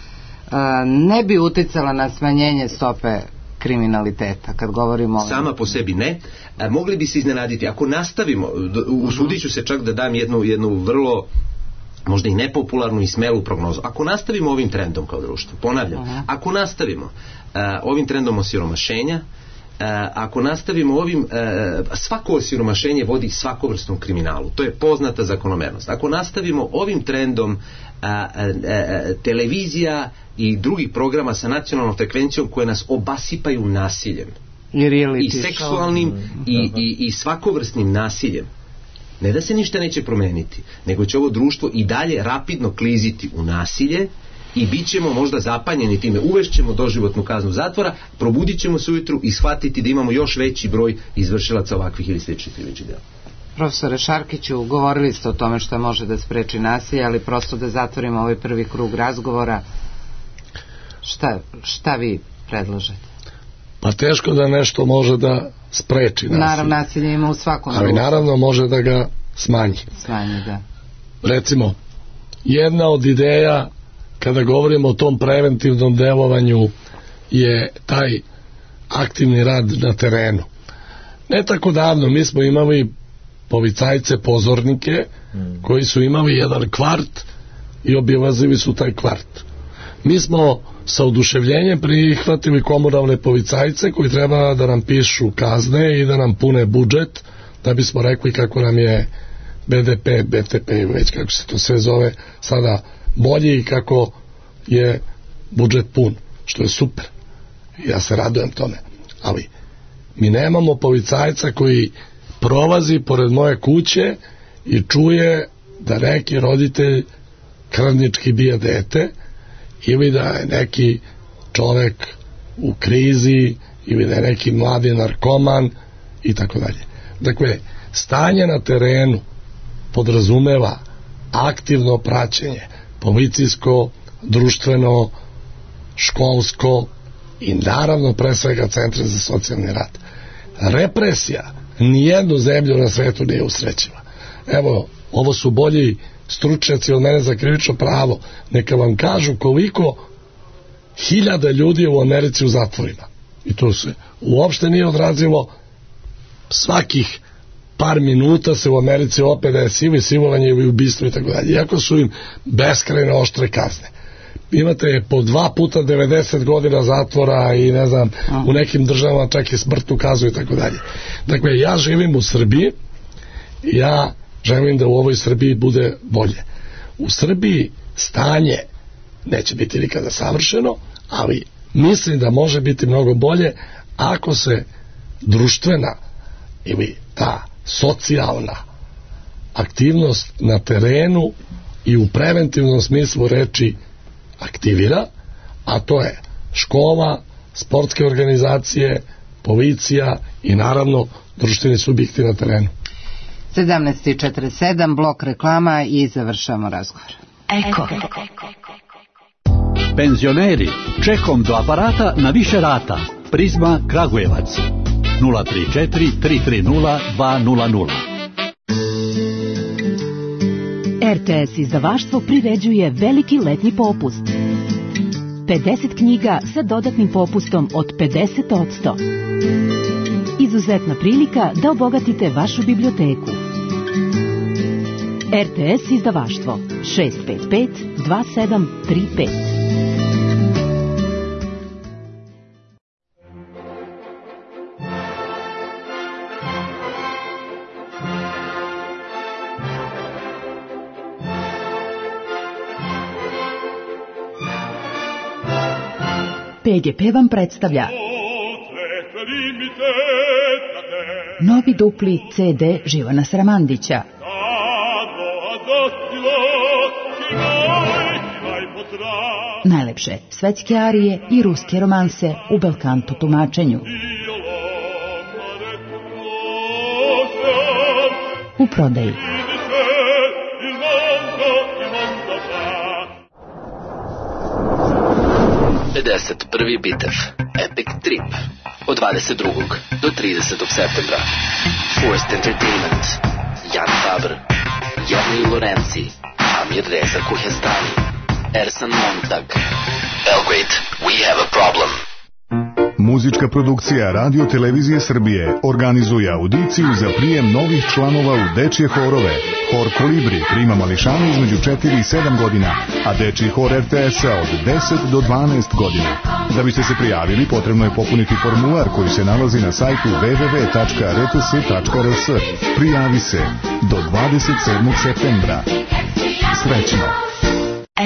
ne bi uticala na smanjenje stope kriminaliteta, kad govorimo... Sama po sebi ne. A, mogli bi se iznenaditi. Ako nastavimo, usudit ću se čak da dam jednu, jednu vrlo možda i nepopularnu i smelu prognozu. Ako nastavimo ovim trendom kao društvo, ponavljam, uh-huh. ako nastavimo a, ovim trendom osiromašenja, ako nastavimo ovim, svako osiromašenje vodi svakovrsnom kriminalu. To je poznata zakonomernost. Ako nastavimo ovim trendom, televizija i drugih programa sa nacionalnom frekvencijom koje nas obasipaju nasiljem i, i seksualnim i, i, i svakovrsnim nasiljem, ne da se ništa neće promeniti, nego će ovo društvo i dalje rapidno kliziti u nasilje i bit ćemo možda zapanjeni time, uvešćemo doživotnu kaznu zatvora, probudit ćemo se ujutru i shvatiti da imamo još veći broj izvršilaca ovakvih ili sličnih krivičnih dela. Profesore Šarkiću, govorili ste o tome što može da spreči nasilje, ali prosto da zatvorimo ovaj prvi krug razgovora, šta, šta vi predlažete? Pa teško da nešto može da spreči nasilje. Naravno, nasilje ima u svakom ali društvu. Naravno može da ga smanji. Smanji, da. Recimo, jedna od ideja kada govorimo o tom preventivnom delovanju je taj aktivni rad na terenu. Ne tako davno mi smo imali policajce, pozornike mm. koji su imali jedan kvart i obilazili su taj kvart. Mi smo sa oduševljenjem prihvatili komunalne policajce koji treba da nam pišu kazne i da nam pune budžet da bismo rekli kako nam je B D P, B T P, već kako se to sve zove sada bolji i kako je budžet pun, što je super. Ja se radujem tome. Ali mi nemamo policajca koji prolazi pored moje kuće i čuje da neki roditelj krvnički bije dete ili da je neki čovek u krizi ili da je neki mladi narkoman i tako dalje. Dakle, stanje na terenu podrazumeva aktivno praćenje, policijsko, društveno, školsko i naravno pre svega centre za socijalni rad. Represija nijednu zemlju na svetu nije usrećiva. Evo, ovo su bolji stručnjaci od mene za krivično pravo, neka vam kažu koliko hiljada ljudi u Americi u zatvorima. I to se uopšte nije odrazilo. Svakih par minuta se u Americi opet da je sivi silovanje ili ubistvo i tako dalje. Iako su im beskrajno oštre kazne. Imate po dva puta devedeset godina zatvora i ne znam, u nekim državama čak i smrtnu kaznu i tako dalje. Dakle, ja živim u Srbiji, ja želim da u ovoj Srbiji bude bolje. U Srbiji stanje neće biti nikada savršeno, ali mislim da može biti mnogo bolje ako se društvena ili ta socijalna aktivnost na terenu i u preventivnom smislu reči aktivira, a to je škola, sportske organizacije, policija i naravno društveni subjekti na terenu. sedamnaest i četrdeset sedam, blok reklama i završamo razgovor. Eko. Penzioneri, čekom do aparata na više rata. Prizma Kragujevac. nula tri četiri tri tri nula dva nula nula. R T S izdavaštvo priređuje veliki letnji popust. pedeset knjiga sa dodatnim popustom od pedeset posto. Izuzetna prilika da obogatite vašu biblioteku. R T S izdavaštvo šest pet pet dva sedam tri pet. P G P vam predstavlja novi dupli C D Živana Sramandića. Najlepše svetske arije i ruske romanse u belkanto tumačenju. U prodaji. pedeset prvi bitev Epic Trip od dvadeset drugog do tridesetog septembra. Forced Entertainment, Jan Faber, Jernej Lorenzi, Amir Reza Kuhestani, Ersan Montag. Belgrade, we have a problem. Muzička produkcija Radio Televizije Srbije organizuje audiciju za prijem novih članova u dečje horove. Hor Kolibri prima mališane između četiri i sedam godina, a dečji hor R T S-a od deset do dvanaest godina. Da biste se prijavili, potrebno je popuniti formular koji se nalazi na sajtu w w w tačka r t s tačka r s. Prijavi se do dvadeset sedmog septembra. Srećno!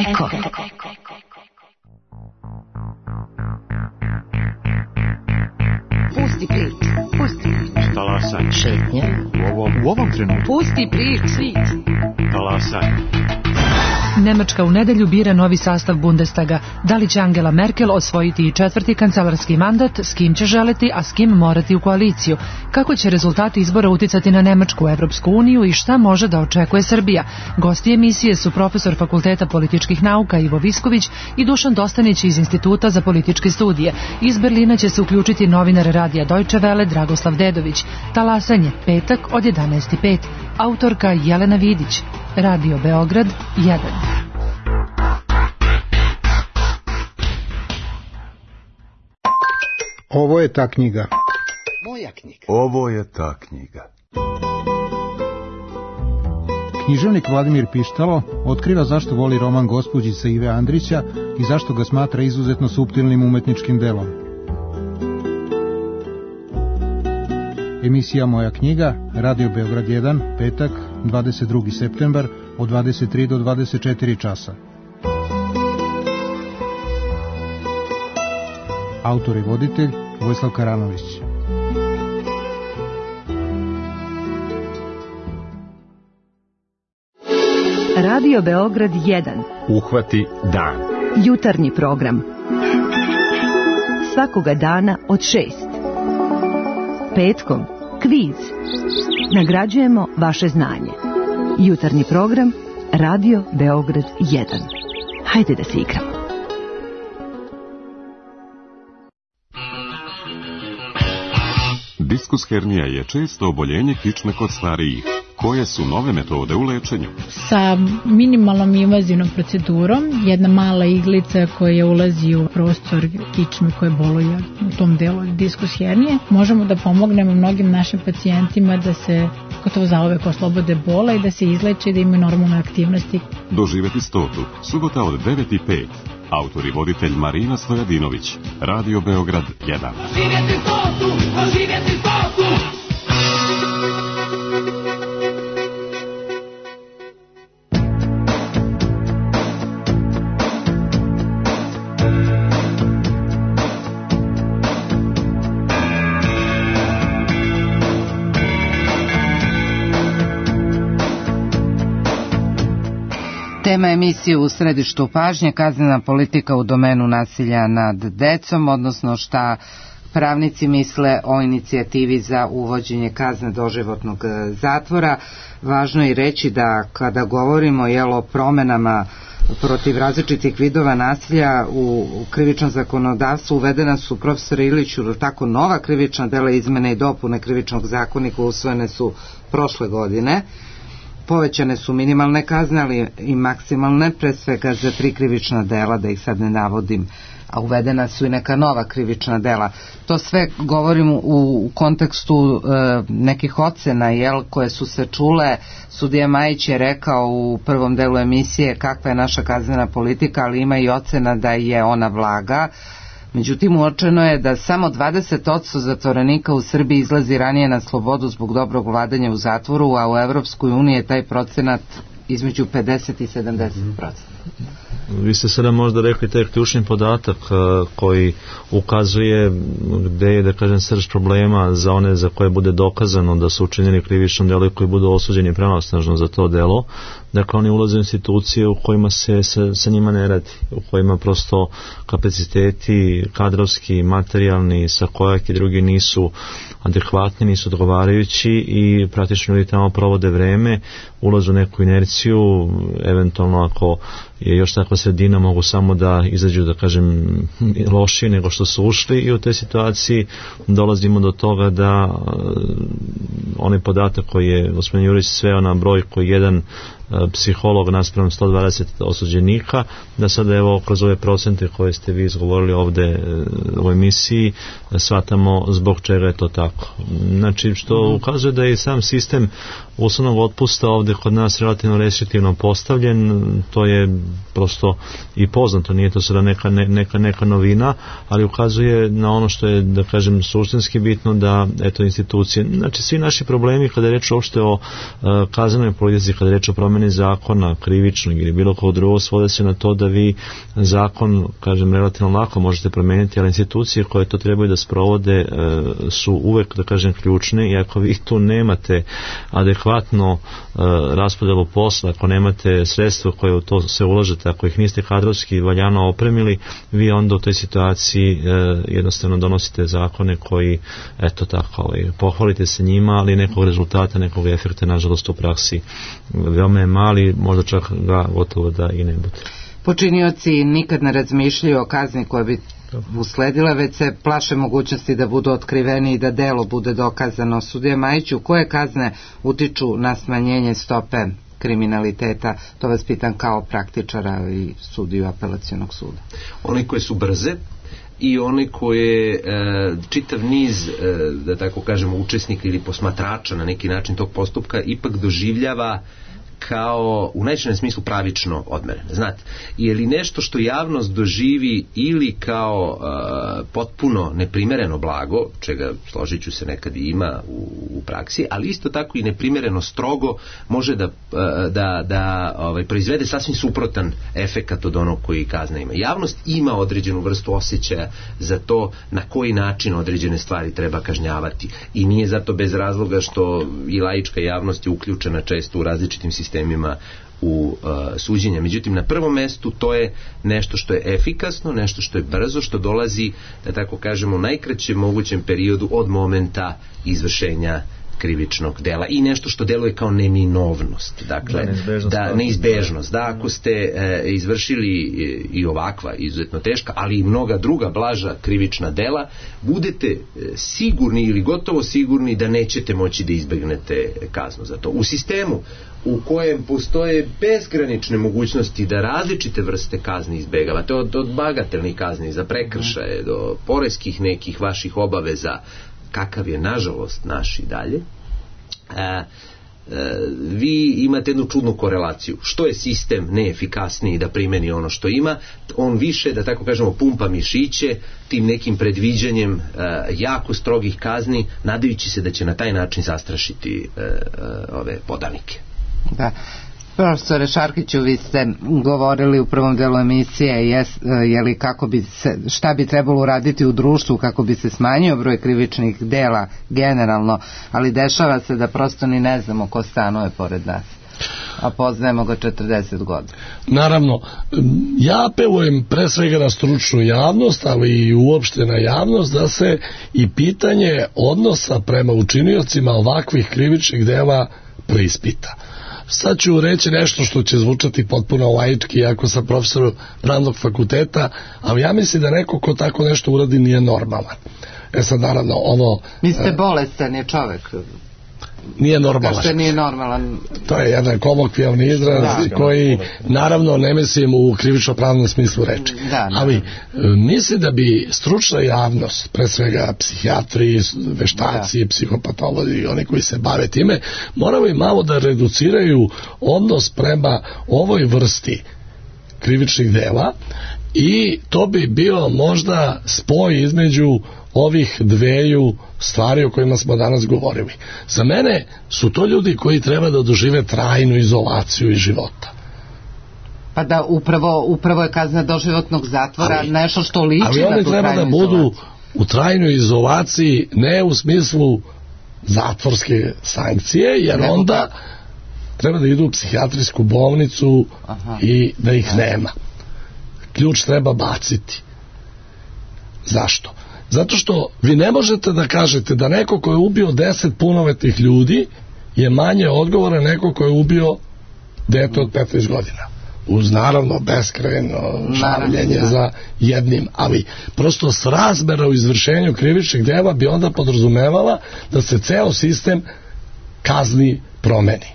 Eko. Pusti prič, pusti prič. Talasaj. Šetnje. U ovom, u ovom trenutku. Pusti prič, svit. Talasaj. Nemačka u nedelju bira novi sastav Bundestaga. Da li će Angela Merkel osvojiti i četvrti kancelarski mandat, s kim će želeti, a s kim morati u koaliciju? Kako će rezultati izbora uticati na Nemačku, Evropsku uniju i šta može da očekuje Srbija? Gosti emisije su profesor Fakulteta političkih nauka Ivo Visković i Dušan Dostanić iz Instituta za političke studije. Iz Berlina će se uključiti novinar radija Deutsche Welle Dragoslav Dedović. Talasanje, petak od jedanaest i pet. Autorka Jelena Vidić. Radio Beograd jedan. Ovo je ta knjiga. Moja knjiga. Ovo je ta knjiga. Književnik Vladimir Pištalo otkriva zašto voli roman Gospođica Ive Andrića i zašto ga smatra izuzetno suptilnim umetničkim delom. Emisija Moja knjiga, Radio Beograd jedan, petak, dvadeset drugi septembar, od dvadeset tri do dvadeset četiri časa. Autor i voditelj Vojislav Karanović. Radio Beograd jedan. Uhvati dan. Jutarnji program. Svakoga dana od šest. Petkom kviz. Nagrađujemo vaše znanje. Jutarnji program Radio Beograd jedan. Hajde da se igramo. Diskus hernija je često oboljenje kičme kod starijih. Koje su nove metode u lečenju? Sa minimalnom invazivnom procedurom, jedna mala iglica koja ulazi u prostor kičme koje boluje u tom delu diskus hernije, možemo da pomognemo mnogim našim pacijentima da se gotovo zauvek oslobode bola i da se izleče i da imaju normalne aktivnosti. Doživeti stotu, subota od devet i pet. Autor i voditelj Marina Stojadinović. Radio Beograd jedan. Doživjeti stotu, doživjeti stotu! Tema emisije u središtu pažnje, kaznena politika u domenu nasilja nad decom, odnosno šta pravnici misle o inicijativi za uvođenje kazne doživotnog zatvora. Važno je reći da kada govorimo jel, o promenama protiv različitih vidova nasilja u krivičnom zakonodavstvu uvedena su, profesor Iliću, tako nova krivična dela, izmene i dopune krivičnog zakonika usvojene su prošle godine. Povećane su minimalne kazne, ali i maksimalne, pre svega za tri krivična dela, da ih sad ne navodim, a uvedena su i neka nova krivična dela. To sve govorim u, u kontekstu e, nekih ocena, jel, koje su se čule. Sudija Majić je rekao u prvom delu emisije kakva je naša kaznena politika, ali ima i ocena da je ona blaga. Međutim, uočeno je da samo dvadeset posto zatvorenika u Srbiji izlazi ranije na slobodu zbog dobrog vladanja u zatvoru, a u Evropskoj uniji je taj procenat između pedeset i sedamdeset posto. Vi ste sada možda rekli taj ključni podatak koji ukazuje gde je, da kažem, srž problema za one za koje bude dokazano da su učinjeni krivično delo i koji budu osuđeni pravosnažno za to delo. Dakle, oni ulaze u institucije u kojima se sa, sa njima ne radi, u kojima prosto kapaciteti kadrovski, materijalni, sa kojak i drugi nisu adekvatni, nisu odgovarajući i praktično ljudi tamo provode vreme, ulazu u neku inerciju, eventualno ako je još takva sredina mogu samo da izađu, da kažem, lošije nego što su ušli i u toj situaciji dolazimo do toga da onaj podatak koji je gospodin Jurić sveo na broj koji jedan psiholog naspram sto dvadeset osuđenika, da sada evo kroz ove procente koje ste vi izgovorili ovde u emisiji shvatamo zbog čega je to tako. Znači što ukazuje da je sam sistem uslovnog otpusta ovde kod nas relativno restriktivno postavljen, to je prosto i poznato, nije to sada neka, neka, neka novina, ali ukazuje na ono što je, da kažem, suštinski bitno, da eto institucije, znači svi naši problemi kada je reč uopšte o uh, kaznenoj politici, kada je reč o promeni zakona, krivičnog ili bilo kog drugog, svode se na to da vi zakon, kažem, relativno lako možete promeniti, ali institucije koje to trebaju da sprovode uh, su uvek, da kažem, ključne, i ako vi tu nemate adekvatno uh, raspodelu posla, ako nemate sredstva koje u to se ulažete, ako ih niste kadrovski valjano opremili, vi onda u toj situaciji uh, jednostavno donosite zakone koji, eto tako, ovaj, pohvalite se njima, ali nekog rezultata, nekog efekta, nažalost, u praksi veoma je mali, možda čak ga gotovo da i ne bude. Počinioci nikad ne razmišljaju o kazni koja bi usledila, već se plaše mogućnosti da budu otkriveni i da delo bude dokazano. Sudija Majiću, koje kazne utiču na smanjenje stope kriminaliteta? To vas pitam kao praktičara i sudiju apelacionog suda. One koje su brze i one koje e, čitav niz, e, da tako kažemo, učesnika ili posmatrača na neki način tog postupka ipak doživljava kao u najširem smislu pravično odmerene. Znate, je li nešto što javnost doživi ili kao uh, potpuno neprimereno blago, čega složit ću se nekad i ima u, u praksi, ali isto tako i neprimereno strogo može da, uh, da, da ovaj, proizvede sasvim suprotan efekat od onog koji kazna ima. Javnost ima određenu vrstu osjećaja za to na koji način određene stvari treba kažnjavati, i nije zato bez razloga što i laička javnost je uključena često u različitim sistemima sistemima u uh, suđenja. Međutim, na prvom mestu to je nešto što je efikasno, nešto što je brzo, što dolazi, da tako kažemo, u najkraćem mogućem periodu od momenta izvršenja krivičnog dela, i nešto što deluje kao neminovnost, dakle, da, neizbežnost, da, neizbežnost, da ako ste e, izvršili i, i ovakva izuzetno teška, ali i mnoga druga blaža krivična dela, budete e, sigurni ili gotovo sigurni da nećete moći da izbegnete kaznu za to. U sistemu u kojem postoje bezgranične mogućnosti da različite vrste kazni izbegavate, od, od bagatelnih kazni za prekršaje do poreskih nekih vaših obaveza, kakav je nažalost naš i dalje, e, e, vi imate jednu čudnu korelaciju. Što je sistem neefikasniji da primeni ono što ima, on više, da tako kažemo, pumpa mišiće tim nekim predviđanjem e, jako strogih kazni, nadajući se da će na taj način zastrašiti e, e, ove podanike. Da. Profesore Šarkiću, vi ste govorili u prvom delu emisije jes, je li kako bi se, šta bi trebalo uraditi u društvu kako bi se smanjio broj krivičnih dela generalno, ali dešava se da prosto ni ne znamo ko stanuje pored nas, a poznajemo ga četrdeset godina. Naravno, ja apelujem pre svega na stručnu javnost, ali i uopšte na javnost, da se i pitanje odnosa prema učiniocima ovakvih krivičnih dela preispita. Sad ću reći nešto što će zvučati potpuno laički, iako sam profesor pravnog fakulteta, ali ja mislim da neko ko tako nešto uradi nije normalan. E sad, naravno, ovo... Vi ste bolestan je čovek. Nije normalan. Kao što nije normalan. To je jedan kolokvijalni izraz, da, koji naravno ne mislim u krivično-pravnom smislu reči. Da, ali mislim da bi stručna javnost, pre svega psihijatri, veštaci, da, psihopatolozi i oni koji se bave time, moraju malo da reduciraju odnos prema ovoj vrsti krivičnih dela, i to bi bio možda spoj između ovih dveju stvari o kojima smo danas govorili. Za mene su to ljudi koji treba da dožive trajnu izolaciju iz života. Pa da, upravo, upravo je kazna doživotnog zatvora ali, nešto što liči na tu trajnu izolaciju. Ali oni treba da budu u trajnoj izolaciji, ne u smislu zatvorske sankcije, jer ne, onda treba da idu u psihijatrijsku bolnicu. Aha. I da ih nema. Ključ treba baciti. Zašto? Zato što vi ne možete da kažete da neko ko je ubio deset punoletnih ljudi je manje odgovoran neko ko je ubio dete od petnaest godina. Uz naravno beskrajno žaljenje za jednim, ali prosto srazmera u izvršenju krivičnih dela bi onda podrazumevala da se ceo sistem kazni promeni.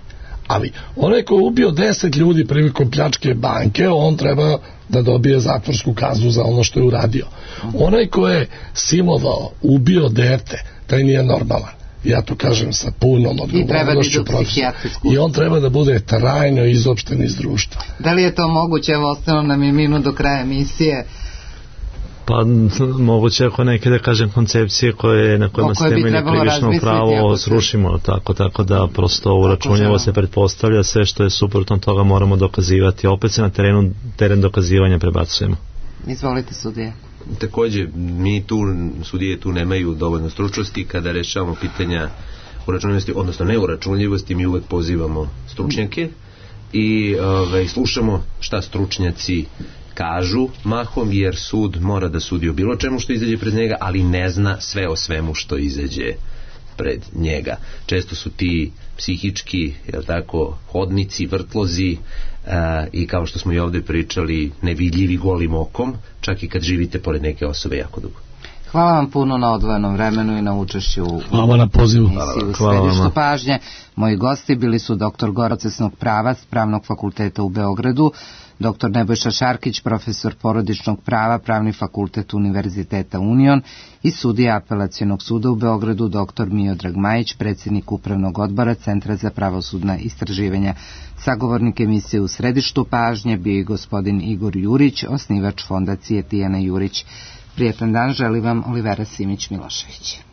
Ali onaj ko je ubio deset ljudi prilikom pljačke banke, on treba da dobije zatvorsku kaznu za ono što je uradio. Onaj ko je silovao, ubio dete, taj nije normalan. Ja to kažem sa punom odgovornošću profesora. I on treba da bude trajno izopšten iz društva. Da li je to moguće? Evo, ostalo nam je minut do kraja emisije. Pa moguće ako neke, da kažem, koncepcije koje, na kojima se temelji krivično pravo srušimo, tako, tako da prosto uračunljivo se pretpostavlja, sve što je suprotno toga moramo dokazivati. Opet se na terenu, teren dokazivanja prebacujemo. Izvolite, sudije. Takođe, mi tu, sudije tu nemaju dovoljno stručnosti kada rešavamo pitanja uračunljivosti, odnosno neuračunljivosti, mi uvek pozivamo stručnjake i ove, slušamo šta stručnjaci kažu mahom, jer sud mora da sudi o bilo čemu što izađe pred njega, ali ne zna sve o svemu što izađe pred njega. Često su ti psihički, jel tako, hodnici, vrtlozi uh, i kao što smo i ovde pričali, nevidljivi golim okom, čak i kad živite pored neke osobe jako dugo. Hvala vam puno na odvojenom vremenu i na učešću u Hvala na pozivu. emisiji u središtu pažnje. Moji gosti bili su doktor procesnog prava s Pravnog fakulteta u Beogradu, doktor Nebojša Šarkić, profesor porodičnog prava, Pravni fakultet Univerziteta Union i sudija Apelacionog suda u Beogradu, doktor Miodrag Majić, predsjednik Upravnog odbora Centra za pravosudna istraživanja. Sagovornik emisije u središtu pažnje bio i gospodin Igor Jurić, osnivač fondacije Tijana Jurić. Prijetan dan želi vam Olivera Simić-Milošević.